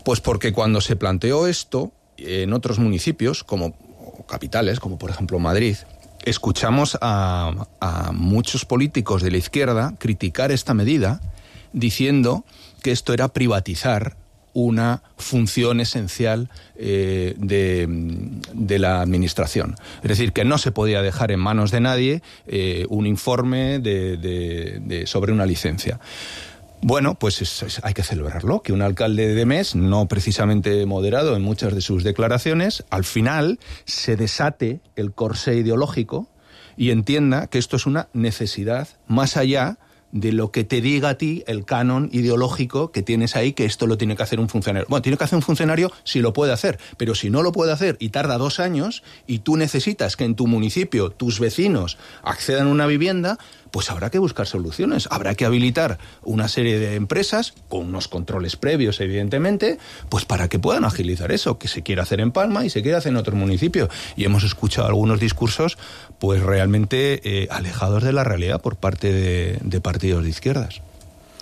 Pues porque cuando se planteó esto en otros municipios, como capitales, como por ejemplo Madrid, escuchamos a, a muchos políticos de la izquierda criticar esta medida diciendo que esto era privatizar una función esencial eh, de, de la administración. Es decir, que no se podía dejar en manos de nadie eh, un informe de, de, de, sobre una licencia. Bueno, pues es, es, hay que celebrarlo, que un alcalde de Mes, no precisamente moderado en muchas de sus declaraciones, al final se desate el corsé ideológico y entienda que esto es una necesidad más allá de lo que te diga a ti el canon ideológico que tienes ahí, que esto lo tiene que hacer un funcionario. Bueno, tiene que hacer un funcionario si lo puede hacer, pero si no lo puede hacer y tarda dos años y tú necesitas que en tu municipio tus vecinos accedan a una vivienda, pues habrá que buscar soluciones. Habrá que habilitar una serie de empresas, con unos controles previos, evidentemente, pues para que puedan agilizar eso, que se quiere hacer en Palma y se quiere hacer en otro municipio. Y hemos escuchado algunos discursos pues realmente eh, alejados de la realidad por parte de, de partidos de izquierdas.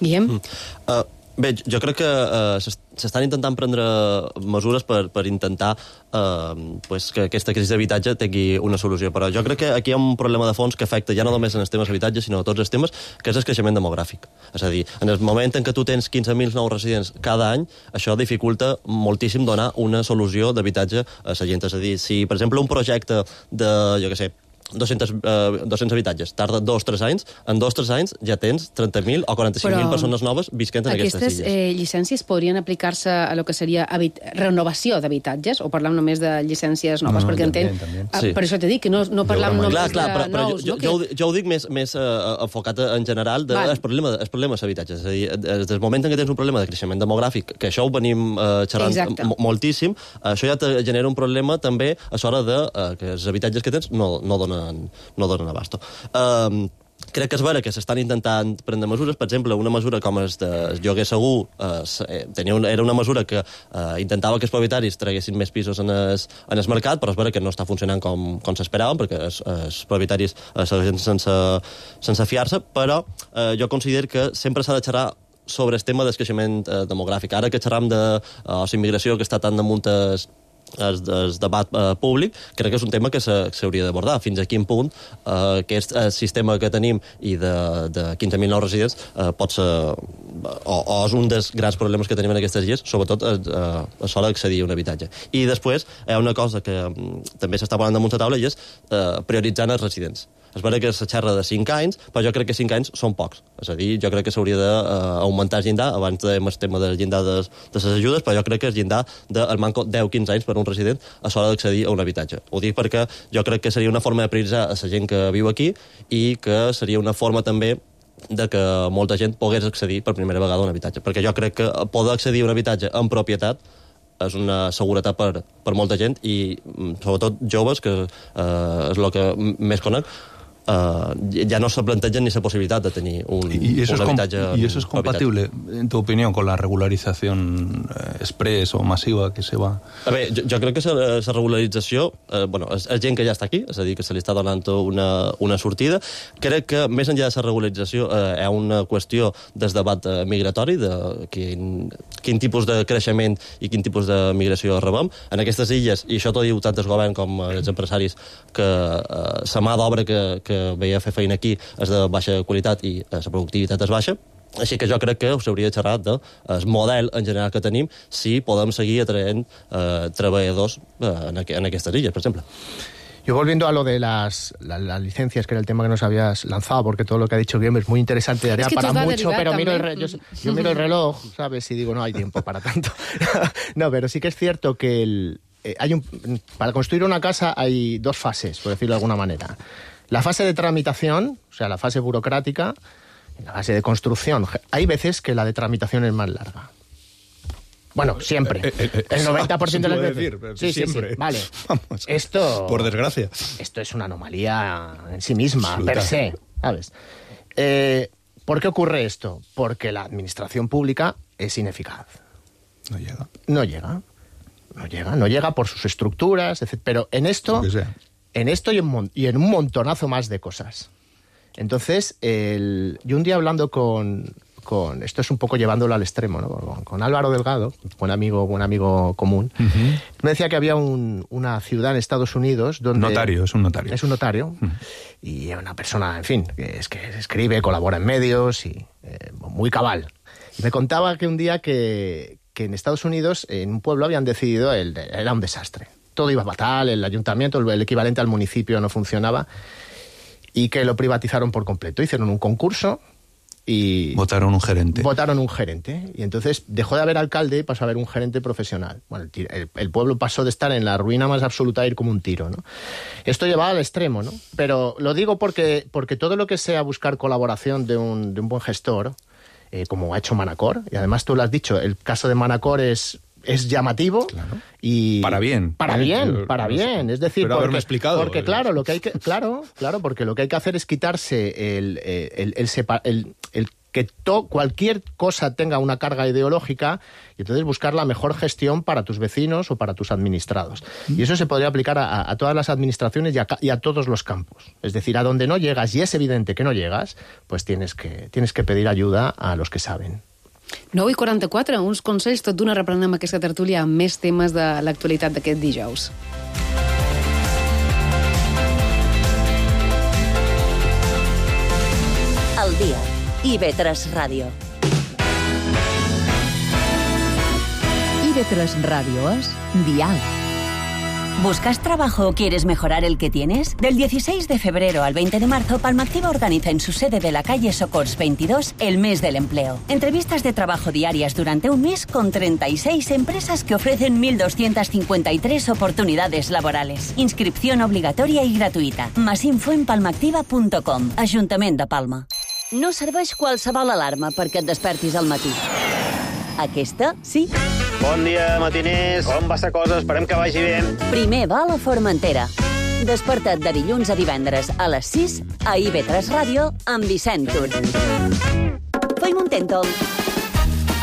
Bien. Uh, Bé, jo crec que eh, s'estan intentant prendre mesures per, per intentar eh, pues, que aquesta crisi d'habitatge tingui una solució, però jo crec que aquí hi ha un problema de fons que afecta ja no només en els temes d'habitatge, sinó a tots els temes, que és el creixement demogràfic. És a dir, en el moment en què tu tens quinze mil nous residents cada any, això dificulta moltíssim donar una solució d'habitatge a la gent. És a dir, si, per exemple, un projecte de, jo què sé, dos-cents, eh, dos-cents habitatges, tarda dos o tres anys, en dos o tres anys ja tens trenta mil o quaranta-cinc mil persones noves visquent en aquestes illes. Aquestes eh, llicències podrien aplicar-se a lo que seria renovació d'habitatges, o parlam només de llicències noves? No, perquè també, entenc... també. Ah, Sí. per això t'he dit que no, no parlam només clar, clar, de però, però nous. jo, no? jo, ho, jo ho dic més, més uh, enfocat en general del de, problema, el problema dels habitatges. És a dir, des del moment en què tens un problema de creixement demogràfic, que això ho venim uh, xerrant moltíssim, això ja te genera un problema també a l'hora de uh, que els habitatges que tens no, no donen, no donen abasto. Um, crec que és vera que s'estan intentant prendre mesures. Per exemple, una mesura com el de lloguer segur eh, tenia un, era una mesura que eh, intentava que els propietaris traguessin més pisos en el, en el mercat, però és vera que no està funcionant com, com s'esperaven, perquè els, els propietaris eh, segueixen sense, sense fiar-se, però eh, jo considero que sempre s'ha de xerrar sobre el tema del creixement eh, demogràfic. Ara que xerram de eh, la immigració, que està tan damunt el, el, el debat eh, públic, crec que és un tema que s'hauria d'abordar. Fins a quin punt eh, aquest eh, sistema que tenim i de, de quinze mil nous residents eh, pot ser, o, o és un dels grans problemes que tenim en aquestes illes, sobretot eh, a l'hora d'accedir a un habitatge. I després hi ha una cosa que mm, també s'està posant damunt la taula, i és eh, prioritzant els residents. És vera que se xerra de cinc anys, però jo crec que cinc anys són pocs. És a dir, jo crec que s'hauria d'augmentar el llindar. Abans dèiem el tema del llindar de, de les ajudes, però jo crec que el llindar del manco deu quinze anys per un resident a l'hora d'accedir a un habitatge. Ho dic perquè jo crec que seria una forma de prioritzar a la gent que viu aquí i que seria una forma també de que molta gent pogués accedir per primera vegada a un habitatge. Perquè jo crec que poder accedir a un habitatge en propietat és una seguretat per, per molta gent i sobretot joves, que eh, és el que més conec, Uh, ya no se plantean ni esa posibilidad de tener un, ¿Y eso, un es habitatge, ¿Y eso es compatible, en tu opinión, con la regularización eh, express o masiva que se va? A veure, jo, jo crec que la regularització, eh, bueno, és, és gent que ja està aquí, és a dir, que se li està donant una, una sortida. Crec que més enllà de la regularització eh, hi ha una qüestió del debat eh, migratori, de quin, quin tipus de creixement i quin tipus de migració rebem. En aquestes illes, i això t'ho diu tant el govern com els empresaris, que eh, la mà d'obra que, que que veia fer feina aquí és de baixa qualitat i la productivitat és baixa, així que jo crec que s'hauria de xerrar del model en general que tenim si podem seguir atraent eh, treballadors eh, en, aqu en aquestes illes, per exemple. Yo volviendo a lo de las, la, las licencias, que era el tema que nos habías lanzado, porque todo lo que ha dicho Guillem es muy interesante, daría es que para mucho, pero miro el re, yo, yo miro el reloj, ¿sabes? Y digo, no hay tiempo para tanto. No, pero sí que es cierto que el, eh, hay un, para construir una casa hay dos fases, por decirlo de alguna manera. La fase de tramitación, o sea, la fase burocrática, la fase de construcción. Hay veces que la de tramitación es más larga. Bueno, siempre. Eh, eh, eh, el noventa por ciento de las veces. Decir, pero sí, siempre. Sí, sí. Vale. Vamos, esto... Por desgracia. Esto es una anomalía en sí misma, Absoluta. per se, ¿sabes? Eh, ¿Por qué ocurre esto? Porque la administración pública es ineficaz. No llega. No llega. No llega. No llega por sus estructuras, etcétera. Pero en esto... En esto y en, y en un montonazo más de cosas. Entonces, el, yo un día hablando con, con... Esto es un poco llevándolo al extremo, ¿no? Con, con Álvaro Delgado, buen amigo, buen amigo común, uh-huh. Me decía que había un, una ciudad en Estados Unidos donde... Notario, es un notario. Es un notario. Uh-huh. Y una persona, en fin, que, es que escribe, colabora en medios y eh, muy cabal. Y me contaba que un día que, que en Estados Unidos, en un pueblo, habían decidido... El, era un desastre. Todo iba fatal, el ayuntamiento, el equivalente al municipio no funcionaba, y que lo privatizaron por completo. Hicieron un concurso y... Votaron un gerente. Votaron un gerente. Y entonces dejó de haber alcalde y pasó a haber un gerente profesional. Bueno, el, el, el pueblo pasó de estar en la ruina más absoluta a ir como un tiro, ¿no? Esto llevaba al extremo, ¿no? Pero lo digo porque, porque todo lo que sea buscar colaboración de un, de un buen gestor, eh, como ha hecho Manacor, y además tú lo has dicho, el caso de Manacor es... es llamativo, claro. Y para bien para bien para bien es decir, pero porque, explicado, porque claro lo que hay que claro claro porque lo que hay que hacer es quitarse el el el, el, sepa, el, el que to, cualquier cosa tenga una carga ideológica y entonces buscar la mejor gestión para tus vecinos o para tus administrados. Y eso se podría aplicar a, a todas las administraciones y a, y a todos los campos. Es decir, a donde no llegas y es evidente que no llegas, pues tienes que tienes que pedir ayuda a los que saben. nou i quaranta-quatre, uns consells, tot d'una reprenem aquesta tertúlia amb més temes de l'actualitat d'aquest dijous. El dia. I ve tres Ràdio. I ve tres Radio es Dial. ¿Buscas trabajo o quieres mejorar el que tienes? Del dieciséis de febrero al veinte de marzo, Palmactiva organiza en su sede de la calle Socors veintidós el mes del empleo. Entrevistas de trabajo diarias durante un mes con treinta y seis empresas que ofrecen mil doscientas cincuenta y tres oportunidades laborales. Inscripción obligatoria y gratuïta. Más info en palmactiva punt com. Ajuntament de Palma. No serveix qualsevol alarma perquè et despertis al matí. Aquesta, sí. Bon dia, matiners. Com va la cosa? Esperem que vagi bé. Primer va a la Formentera. Desperta't de dilluns a divendres a les sis a I ve tres Ràdio amb Vicent Tur. Feim un Tèntol.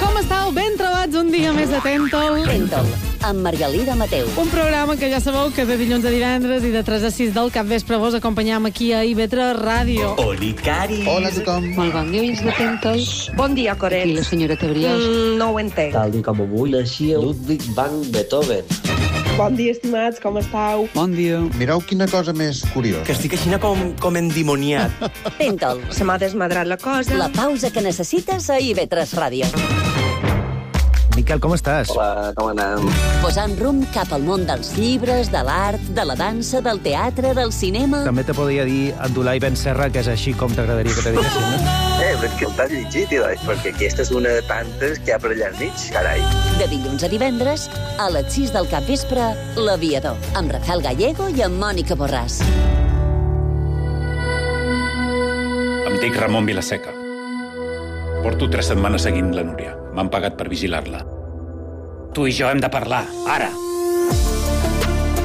Com estàu? Ben trobats un dia més de Tèntol. Tèntol, amb Margalida Mateu. Un programa que ja sabeu que de dilluns a divendres i de tres a sis del capvespre vos acompanyam aquí a I ve tres Ràdio. Oli, Cari. Hola a tothom. Molt bon dia, oients de Tèntol. Bon dia, Coret. Aquí la senyora Tebriós. Mm, no ho entenc. Tal dia com avui naixia Ludwig van Beethoven. Bon dia, estimats, com estàu? Bon dia. Mireu quina cosa més curiosa. Que estic així com, com endimoniat. Tèntol. Se m'ha desmadrat la cosa. La pausa que necessites a I ve tres Ràdio. Miquel, com estàs? Hola, com anem? Posant rumb cap al món dels llibres, de l'art, de la dansa, del teatre, del cinema... També te podria dir Abdulai Ben Serra, que és així com t'agradaria que te diguessin, no? Eh, però és que t'has llegit, doncs, perquè aquesta és una de tantes que hi ha per allà al mig, carai. De dilluns a divendres, a les sis del capvespre, L'Aviador, amb Rafael Gallego i amb Mònica Borràs. Em dic Ramon Vilaseca. Porto tres setmanes seguint la Núria. M'han pagat per vigilar-la. Tu i jo hem de parlar, ara.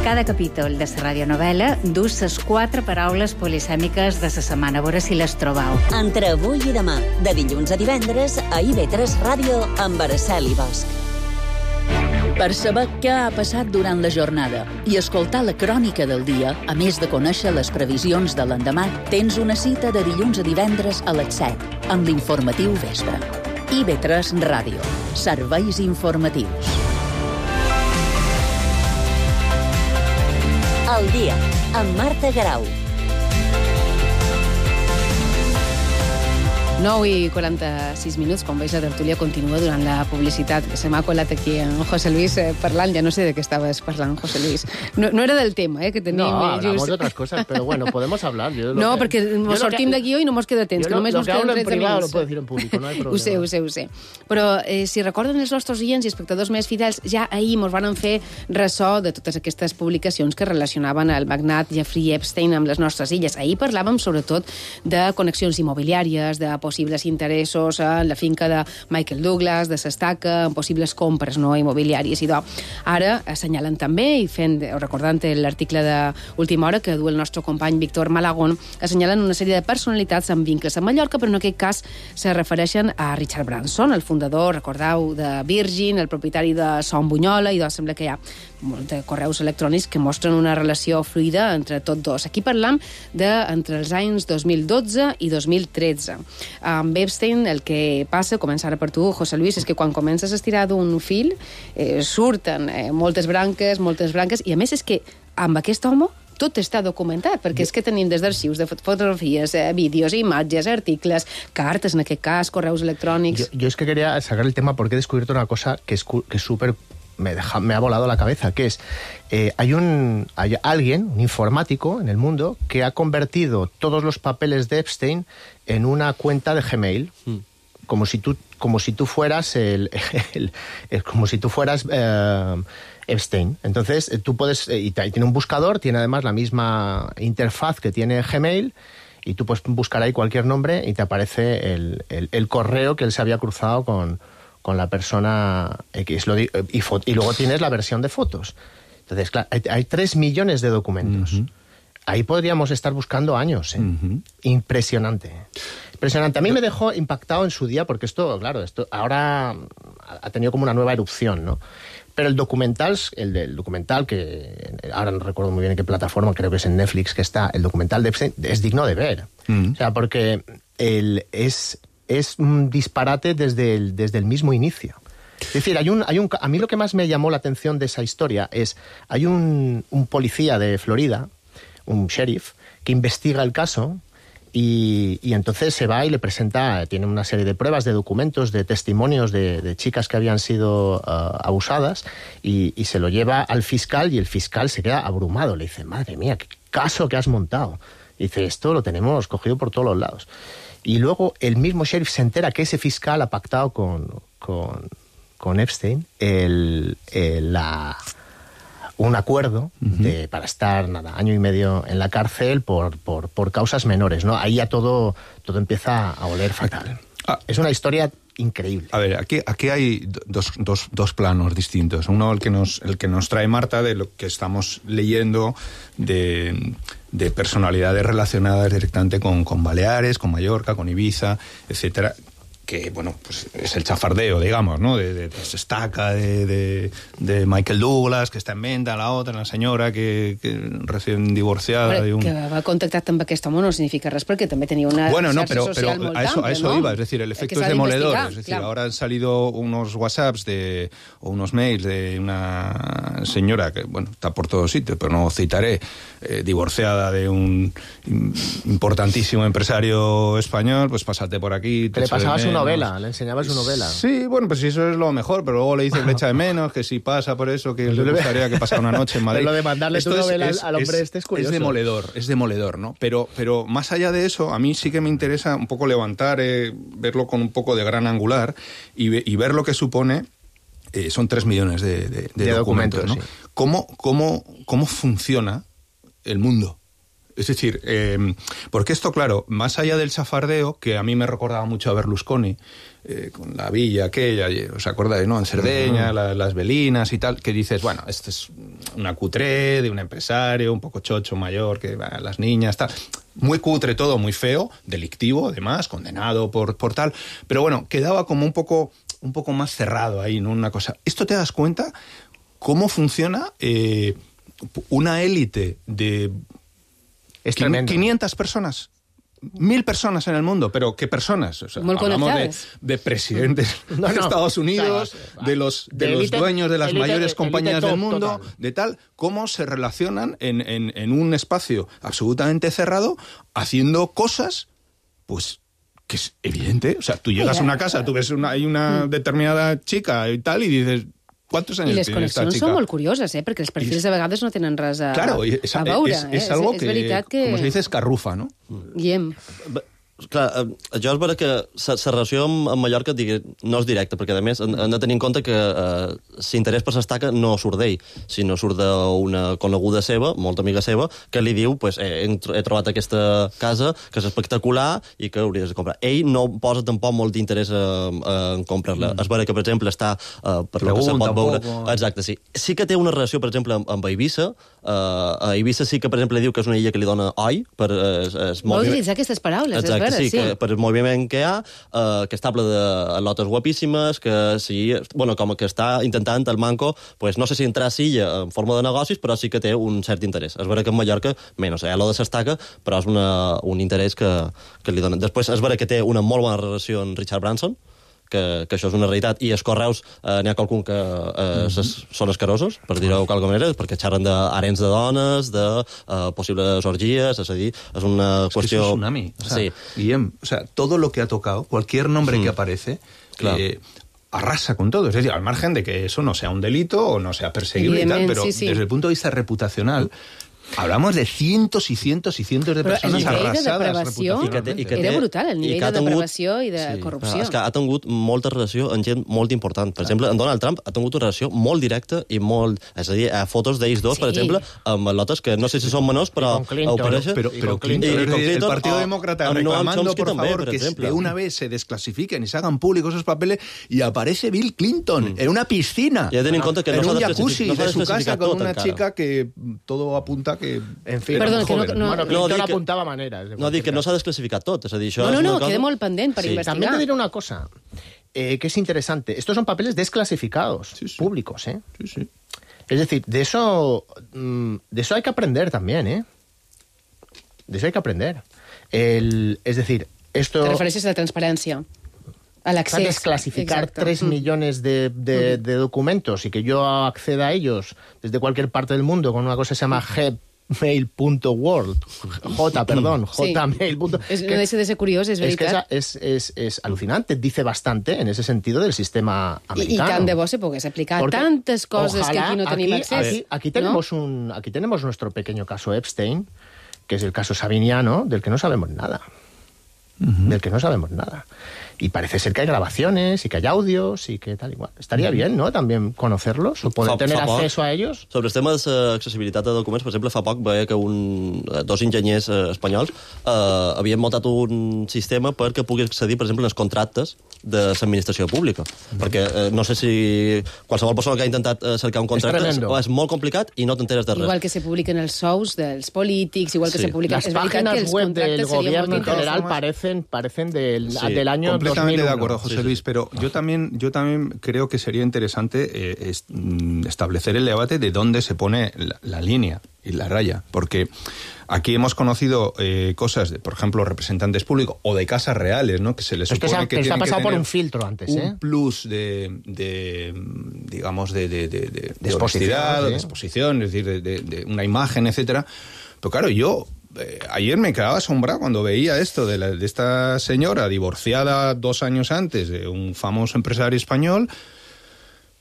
Cada capítol de la radionovel·la du les quatre paraules polisèmiques de la setmana. A veure si les trobau. Entre avui i demà, de dilluns a divendres, a I ve tres Ràdio amb Araceli Bosch. Per saber què ha passat durant la jornada i escoltar la crònica del dia, a més de conèixer les previsions de l'endemà, tens una cita de dilluns a divendres a les set, amb l'informatiu vespre. I ve tres Ràdio. Serveis informatius. El dia, amb Marta Garau. nou i quaranta-sis minuts, com veus, la tertúlia continua durant la publicitat. Se m'ha colat aquí en José Luis eh, parlant, ja no sé de què estaves parlant, José Luis. No, no era del tema, eh, que tenim... No, eh, hablamos just... de otras cosas, pero bueno, podemos hablar. Yo no, que, perquè mos sortim d'aquí i no mos queda temps, que lo, només lo mos que queden hablo en tretze privado minuts. lo puedo decir en público, no hay problema. Ho sé, ho sé, ho sé. Però eh, si recorden els nostres oients i espectadors més fidels, ja ahir mos van fer ressò de totes aquestes publicacions que relacionaven el magnat Jeffrey Epstein amb les nostres illes. Ahir parlàvem sobretot de connexions immobiliàries, de possibles interessos en la finca de Michael Douglas, de s'estaca, en possibles compres no immobiliàries i d'or. Ara assenyalen també, i fent, recordant l'article d'Última Hora que du el nostre company Víctor Malagón, assenyalen una sèrie de personalitats amb vincles a Mallorca, però en aquest cas se refereixen a Richard Branson, el fundador, recordeu, de Virgin, el propietari de Son Bunyola, i doncs sembla que hi ha molts de correus electrònics que mostren una relació fluida entre tots dos. Aquí parlam de entre els anys dos mil dotze i dos mil tretze. Amb Epstein el que passa, comença ara per tu, José Luis, és que quan comences a estirar d'un fil eh, surten eh, moltes branques, moltes branques, i a més és que amb aquest home tot està documentat, perquè és que tenim des d'arxius de fotografies, eh, vídeos, imatges, articles, cartes, en aquest cas, correus electrònics... Yo, yo es que quería sacar el tema porque he descubierto una cosa que es que es súper... Me, deja, me ha volado la cabeza, que es, eh, hay, un, hay alguien, un informático en el mundo, que ha convertido todos los papeles de Epstein en una cuenta de Gmail, mm. como si tú, como si tú fueras el, el, el como si tú fueras eh, Epstein. Entonces, eh, tú puedes, eh, y tiene un buscador, tiene además la misma interfaz que tiene Gmail, y tú puedes buscar ahí cualquier nombre y te aparece el, el, el correo que él se había cruzado con... con la persona X. Lo, y, y luego tienes la versión de fotos. Entonces, claro, hay, hay tres millones de documentos. Uh-huh. Ahí podríamos estar buscando años. ¿eh? Uh-huh. Impresionante. Impresionante. A mí me dejó impactado en su día, porque esto, claro, esto ahora ha tenido como una nueva erupción, ¿no? Pero el documental, el del documental, que ahora no recuerdo muy bien en qué plataforma, creo que es en Netflix que está, el documental de Epstein, es digno de ver. Uh-huh. O sea, porque él es... es un disparate desde el, desde el mismo inicio. Es decir, hay un, hay un, a mí lo que más me llamó la atención de esa historia es, hay un, un policía de Florida, un sheriff, que investiga el caso y, y entonces se va y le presenta, tiene una serie de pruebas, de documentos, de testimonios de, de chicas que habían sido uh, abusadas y, y se lo lleva al fiscal y el fiscal se queda abrumado. Le dice, madre mía, qué caso que has montado. Y dice, esto lo tenemos cogido por todos los lados. Y luego el mismo sheriff se entera que ese fiscal ha pactado con, con, con Epstein el, el, la, un acuerdo uh-huh. de, para estar nada, año y medio en la cárcel por, por, por causas menores, ¿no? Ahí ya todo, todo empieza a oler fatal. Ah. Es una historia increíble. A ver, aquí, aquí hay dos, dos, dos planos distintos. Uno, el que, nos, el que nos trae Marta, de lo que estamos leyendo de, de personalidades relacionadas directamente con, con Baleares, con Mallorca, con Ibiza, etcétera, que, bueno, pues es el chafardeo, digamos, ¿no? De, de, de Estaca, de, de, de Michael Douglas, que està en venda, la otra, la senyora que, que recién divorciada... Però, de un... que va contactar amb aquest home no significa res, perquè també tenia una bueno, no, xarxa pero, social pero molt a eso, amplia, a eso ¿no? iba, es decir, el efecto es de demoledor, es decir, claro. ahora han salido unos WhatsApps de, o unos mails de una señora que, bueno, está por todos sitios, pero no citaré, eh, divorciada de un importantísimo empresario español, pues pásate por aquí... Que le pasaba su novela, le enseñaba su novela. Sí, bueno, pues eso es lo mejor, pero luego le dices le echa de menos, que si pasa por eso, que le gustaría que pasara una noche en Madrid. Pero lo de mandarle Esto tu es, novela es, al hombre es, este es curioso. Es demoledor, es demoledor, ¿no? Pero, pero más allá de eso, a mí sí que me interesa un poco levantar, eh, verlo con un poco de gran angular y, y ver lo que supone. Eh, son tres millones de, de, de, de documentos, documentos, ¿no? Sí. ¿Cómo, cómo, ¿Cómo funciona el mundo? Es decir, eh, porque esto, claro, más allá del chafardeo, que a mí me recordaba mucho a Berlusconi, eh, con la villa aquella, ¿os acordáis, no? En Cerdeña, uh-huh. la, las velinas y tal, que dices, bueno, esto es una cutre de un empresario, un poco chocho mayor, que va, las niñas, tal. Muy cutre todo, muy feo, delictivo, además, condenado por, por tal. Pero bueno, quedaba como un poco, un poco más cerrado ahí, ¿no? Una cosa. Esto te das cuenta cómo funciona eh, una élite de... Es tremendo. quinientas personas, mil personas en el mundo, pero ¿qué personas? O sea, hablamos de, de presidentes no, no, de Estados Unidos, claro, de los, de de los elite, dueños de las elite, mayores elite, compañías elite del mundo, total. De tal, cómo se relacionan en, en, en un espacio absolutamente cerrado, haciendo cosas, pues, que es evidente. O sea, tú llegas a una casa, tú ves una, hay una determinada chica y tal, y dices... ¿Cuántos años I les tiene esta connexions chica? són molt curioses, eh? Perquè els perfils de vegades no tenen res a, claro, es, a veure. Es, es, es algo eh? que, és veritat que... como se dice, escarrufa, ¿no? Guillem. Clar, jo és vera que la relació amb, amb Mallorca digui, no és directa, perquè a més hem, hem de tenir en compte que eh, l'interès per l'estaca no surt d'ell, sinó surt d'una coneguda seva, molt amiga seva, que li diu, pues, eh, he, he trobat aquesta casa que és espectacular i que hauries de comprar. Ell no posa tampoc molt d'interès en, en comprar-la. Mm. És vera que, per exemple, està eh, per lo que se pot veure... Exacte, sí. Sí que té una relació, per exemple, amb, amb Eivissa. Eh, a Eivissa sí que, per exemple, diu que és una illa que li dona oi per... Eh, es Vol utilitzar aquestes paraules, exacte, és vera, sí. sí. Que per el moviment que hi ha, eh, que està ple de lotes guapíssimes, que sí, bueno, com que està intentant el Manco, pues no sé si entrar a Silla en forma de negocis, però sí que té un cert interès. És vera que en Mallorca, menys, eh, lo de s'estaca, però és una, un interès que, que li donen. Després és vera que té una molt bona relació amb Richard Branson, que, que això és una realitat, i els correus eh, n'hi ha qualcun que eh, mm-hmm. són escarosos, per dir-ho d'alguna manera, perquè xerren d'harens de dones, de eh, possibles orgies, és a dir, és una es qüestió... Que es un tsunami. O sea, sí. Guillem, o sea, todo lo que ha tocado, cualquier nombre mm. que aparece... Claro. Eh, arrasa con todo, es decir, al margen de que eso no sea un delito o no sea perseguible y tal, pero sí, sí. desde el punto de vista reputacional hablamos de cientos y cientos y cientos de però persones arrasades reputacionalment. Era brutal, el nivell de depravació i de sí, corrupció. És que ha tingut molta relació amb gent molt important. Per exemple, en Donald Trump ha tingut una relació molt directa i molt... És a dir, a fotos d'ells dos, sí. per exemple, amb lotes que no sé si són menors, però ho pareixen. Pero, pero Clinton, y con Clinton, el Partido Demócrata reclamando, por favor, que de una vez se desclasifiquen y se hagan públicos esos papeles, y aparece Bill Clinton en una piscina, en un jacuzzi de su casa con una chica que todo apunta que... En fin, Perdona, que no, no, bueno, no, no que, apuntava maneres. No, dic que no s'ha desclasificat tot. És a dir, això no, no, és no, cosa... queda molt pendent per sí. investigar. También te diré una cosa, eh, que es interesante. Estos son papeles desclasificados, sí, sí. públicos, ¿eh? Sí, sí. Es decir, de eso, de eso hay que aprender también, ¿eh? De eso hay que aprender. El, es decir, esto... Te refereixes a la transparència. al acceso. Desclasificar Exacto. tres Mm. millones de, de, de documentos y que yo acceda a ellos desde cualquier parte del mundo con una cosa que se llama gmail punto world, J, perdón, Sí. Jmail. És, no deixa de ser curiós, és Es que veritat. es, es, es, es alucinante, dice bastante en ese sentido del sistema I, I americano. tant de bo se pogués aplicar Porque tantes coses que ojalá aquí no tenim aquí, accés. Aquí, aquí tenemos ¿no? un, aquí tenemos nuestro pequeño caso Epstein, que es el caso Sabiniano, del que no sabemos nada. Uh-huh. Del que no sabemos nada. Y parece ser que hay grabaciones y que hay audios y que tal igual. Estaría uh-huh. bien, ¿no?, también conocerlos o poder fa, tener fa acceso poc, a ellos. Sobre els temes d'accessibilitat de documents, per exemple, fa poc veia que un, dos enginyers eh, espanyols eh, havien muntat un sistema perquè pugui accedir, per exemple, als contractes de l'administració pública. Mm. Perquè eh, no sé si qualsevol persona que ha intentat eh, cercar un contracte és, és molt complicat i no t'enteres de res. Igual que se publiquen els sous dels polítics, igual que sí. se publiquen... Las páginas web del gobierno en general parecen, parecen del, sí. del año completamente dos mil uno. De acuerdo, José sí, Luis, pero yo también, yo también creo que sería interesante eh, es, mm, establecer el debate de dónde se pone la, la línea y la raya, porque aquí hemos conocido eh, cosas de, por ejemplo, representantes públicos o de casas reales, ¿no?, que se les supone Esto que, que tienen ha pasado que por tener un filtro antes, un ¿eh? plus de, de digamos, de, de, de, de, de exposición, honestidad, ¿sí? de exposición, es decir, de, de, de una imagen, etcétera. Pero claro, yo eh, ayer me quedaba asombrado cuando veía esto de, la, de esta señora divorciada dos años antes de un famoso empresario español.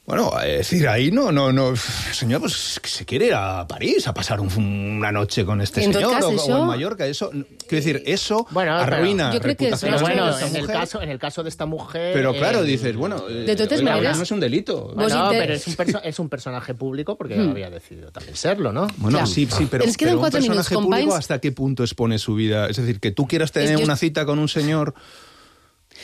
Bueno, es decir, ahí no, no, no, señor, pues que se quiere ir a París a pasar un, una noche con este en señor cas, o, això... o en Mallorca, eso, quiero decir, eso bueno, arruina yo creo que reputación es, bueno, de esta en el mujer. caso en el caso de esta mujer. Pero claro, eh, dices, bueno, de todas eh, maneras, no es un delito. Bueno, inter... pero es un, perso es un personaje público porque hmm. había decidido también serlo, ¿no? Bueno, claro. sí, sí, pero, Ens queden pero un cuatro personaje minuts, público, companys. ¿hasta qué punto expone su vida? Es decir, que tú quieras tener Es, una jo... cita con un señor...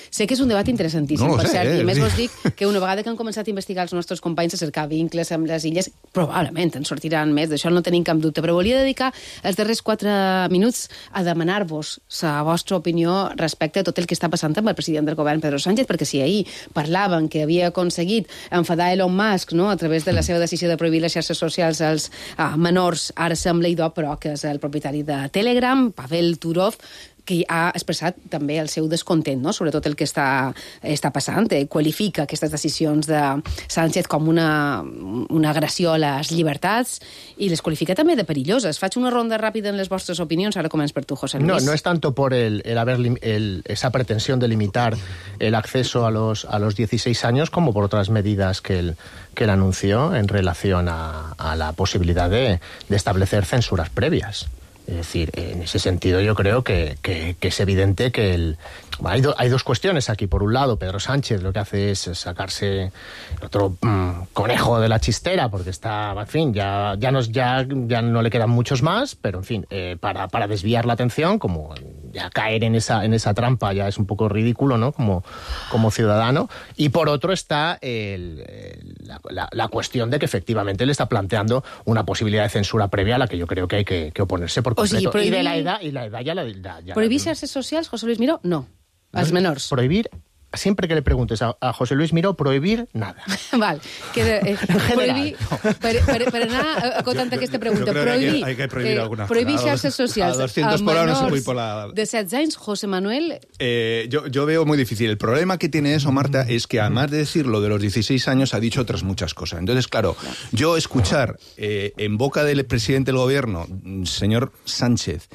Sé que és un debat interessantíssim, no per sé, cert, eh? i a més vos dic que una vegada que han començat a investigar els nostres companys a cercar vincles amb les illes, probablement en sortiran més, d'això no tenim cap dubte, però volia dedicar els darrers quatre minuts a demanar-vos la vostra opinió respecte a tot el que està passant amb el president del govern, Pedro Sánchez, perquè si ahir parlaven que havia aconseguit enfadar Elon Musk, no?, a través de la seva decisió de prohibir les xarxes socials als ah, menors, ara sembla idò, però que és el propietari de Telegram, Pavel Durov, que ha expressat també el seu descontent, no?, sobre tot el que està, està passant. Eh, qualifica aquestes decisions de Sánchez com una, una agressió a les llibertats i les qualifica també de perilloses. Faig una ronda ràpida en les vostres opinions. Ara començo per tu, José Luis. No, no es tanto por el, el haber el, esa pretensión de limitar el acceso a los, a los dieciséis años como por otras medidas que él, que él anunció en relación a, a la posibilidad de, de establecer censuras previas. Es decir, en ese sentido yo creo que, que, que es evidente que el... Hay, do, hay dos cuestiones aquí. Por un lado, Pedro Sánchez lo que hace es sacarse el otro mmm, conejo de la chistera, porque está, en fin, ya, ya, nos, ya, ya no le quedan muchos más, pero en fin, eh, para, para desviar la atención, como ya caer en esa, en esa trampa ya es un poco ridículo, ¿no?, como, como ciudadano. Y por otro está el, el, la, la, la cuestión de que efectivamente le está planteando una posibilidad de censura previa a la que yo creo que hay que, que oponerse por completo. O sigui, prohibir... Y de la edad, y la edad ya la... Ya, ya prohibir la... xarxes socials, José Luis Miró? No. Els menors. Prohibir, siempre que le preguntes a, a José Luis Miró, prohibir nada. Val. Que, eh, prohibir, per, per, per anar acotant aquesta pregunta, prohibir, hay que, hay que prohibir eh, algunas prohibir cosas. xarxes socials A doscientos por hora no se puede ir por la... de setze anys, José Manuel... Eh, yo, yo veo muy difícil. El problema que tiene eso, Marta, es que además de decir lo de los dieciséis años, ha dicho otras muchas cosas. Entonces, claro, yo escuchar eh, en boca del presidente del gobierno, señor Sánchez,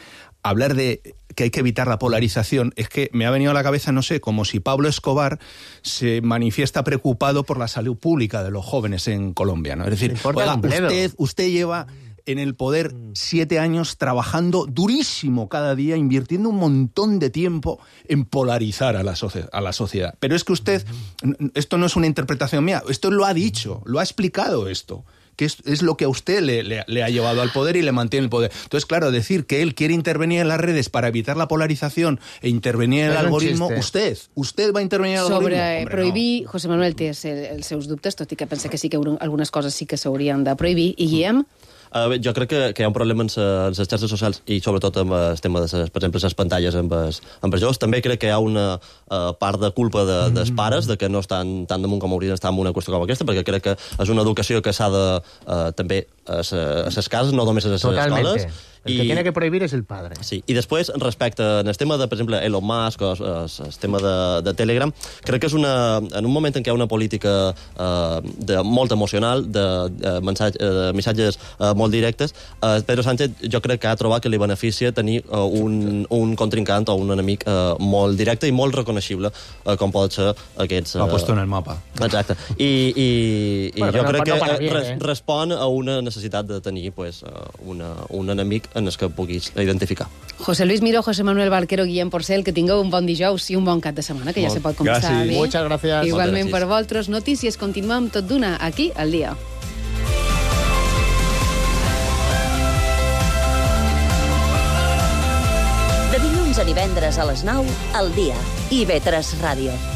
hablar de que hay que evitar la polarización, es que me ha venido a la cabeza, no sé, como si Pablo Escobar se manifiesta preocupado por la salud pública de los jóvenes en Colombia, ¿no? Es decir, oiga, usted, usted lleva en el poder siete años trabajando durísimo cada día, invirtiendo un montón de tiempo en polarizar a la, socie- a la sociedad. Pero es que usted, esto no es una interpretación mía, esto lo ha dicho, lo ha explicado esto, que es, es lo que a usted le, le, le ha llevado al poder y le mantiene el poder. Entonces, claro, decir que él quiere intervenir en las redes para evitar la polarización e intervenir en el algoritmo, usted, usted va a intervenir en el Sobre algoritmo. Hombre, prohibir, no. José Manuel té els, els seus dubtes, tot i que pensa que sí que algunes coses sí que s'haurien de prohibir. I Guillem? Uh, bé, jo crec que, que hi ha un problema amb les xarxes socials i sobretot amb el tema de, ses, per exemple, les pantalles amb els, amb els joves. També crec que hi ha una uh, part de culpa de, dels pares de que no estan tan damunt com haurien d'estar en una qüestió com aquesta, perquè crec que és una educació que s'ha de uh, també a les cases, no només a les escoles. El I... que tiene que prohibir és el padre. Sí, i després, respecte al tema de, per exemple, Elon Musk o el, el tema de, de Telegram, crec que és una... En un moment en què hi ha una política eh, de, molt emocional, de, de, mensatge, de missatges eh, molt directes, eh, Pedro Sánchez jo crec que ha trobat que li beneficia tenir eh, un, un contrincant o un enemic eh, molt directe i molt reconeixible, eh, com pot ser aquests... Eh... L'ha puesto en el mapa. Exacte. I, i, i bueno, jo no, crec no que bien, res, eh? respon a una necessitat de tenir pues, una, un enemic en el que puguis identificar. José Luis Miró, José Manuel Barquero, Guillem Porcel, que tingueu un bon dijous i un bon cap de setmana, que ja se pot començar gràcies. bé. Muchas gracias. Igualment per vosaltres. Notícies, continuem tot d'una aquí al dia. De dilluns a divendres a les nou, al dia. I ve tres Ràdio.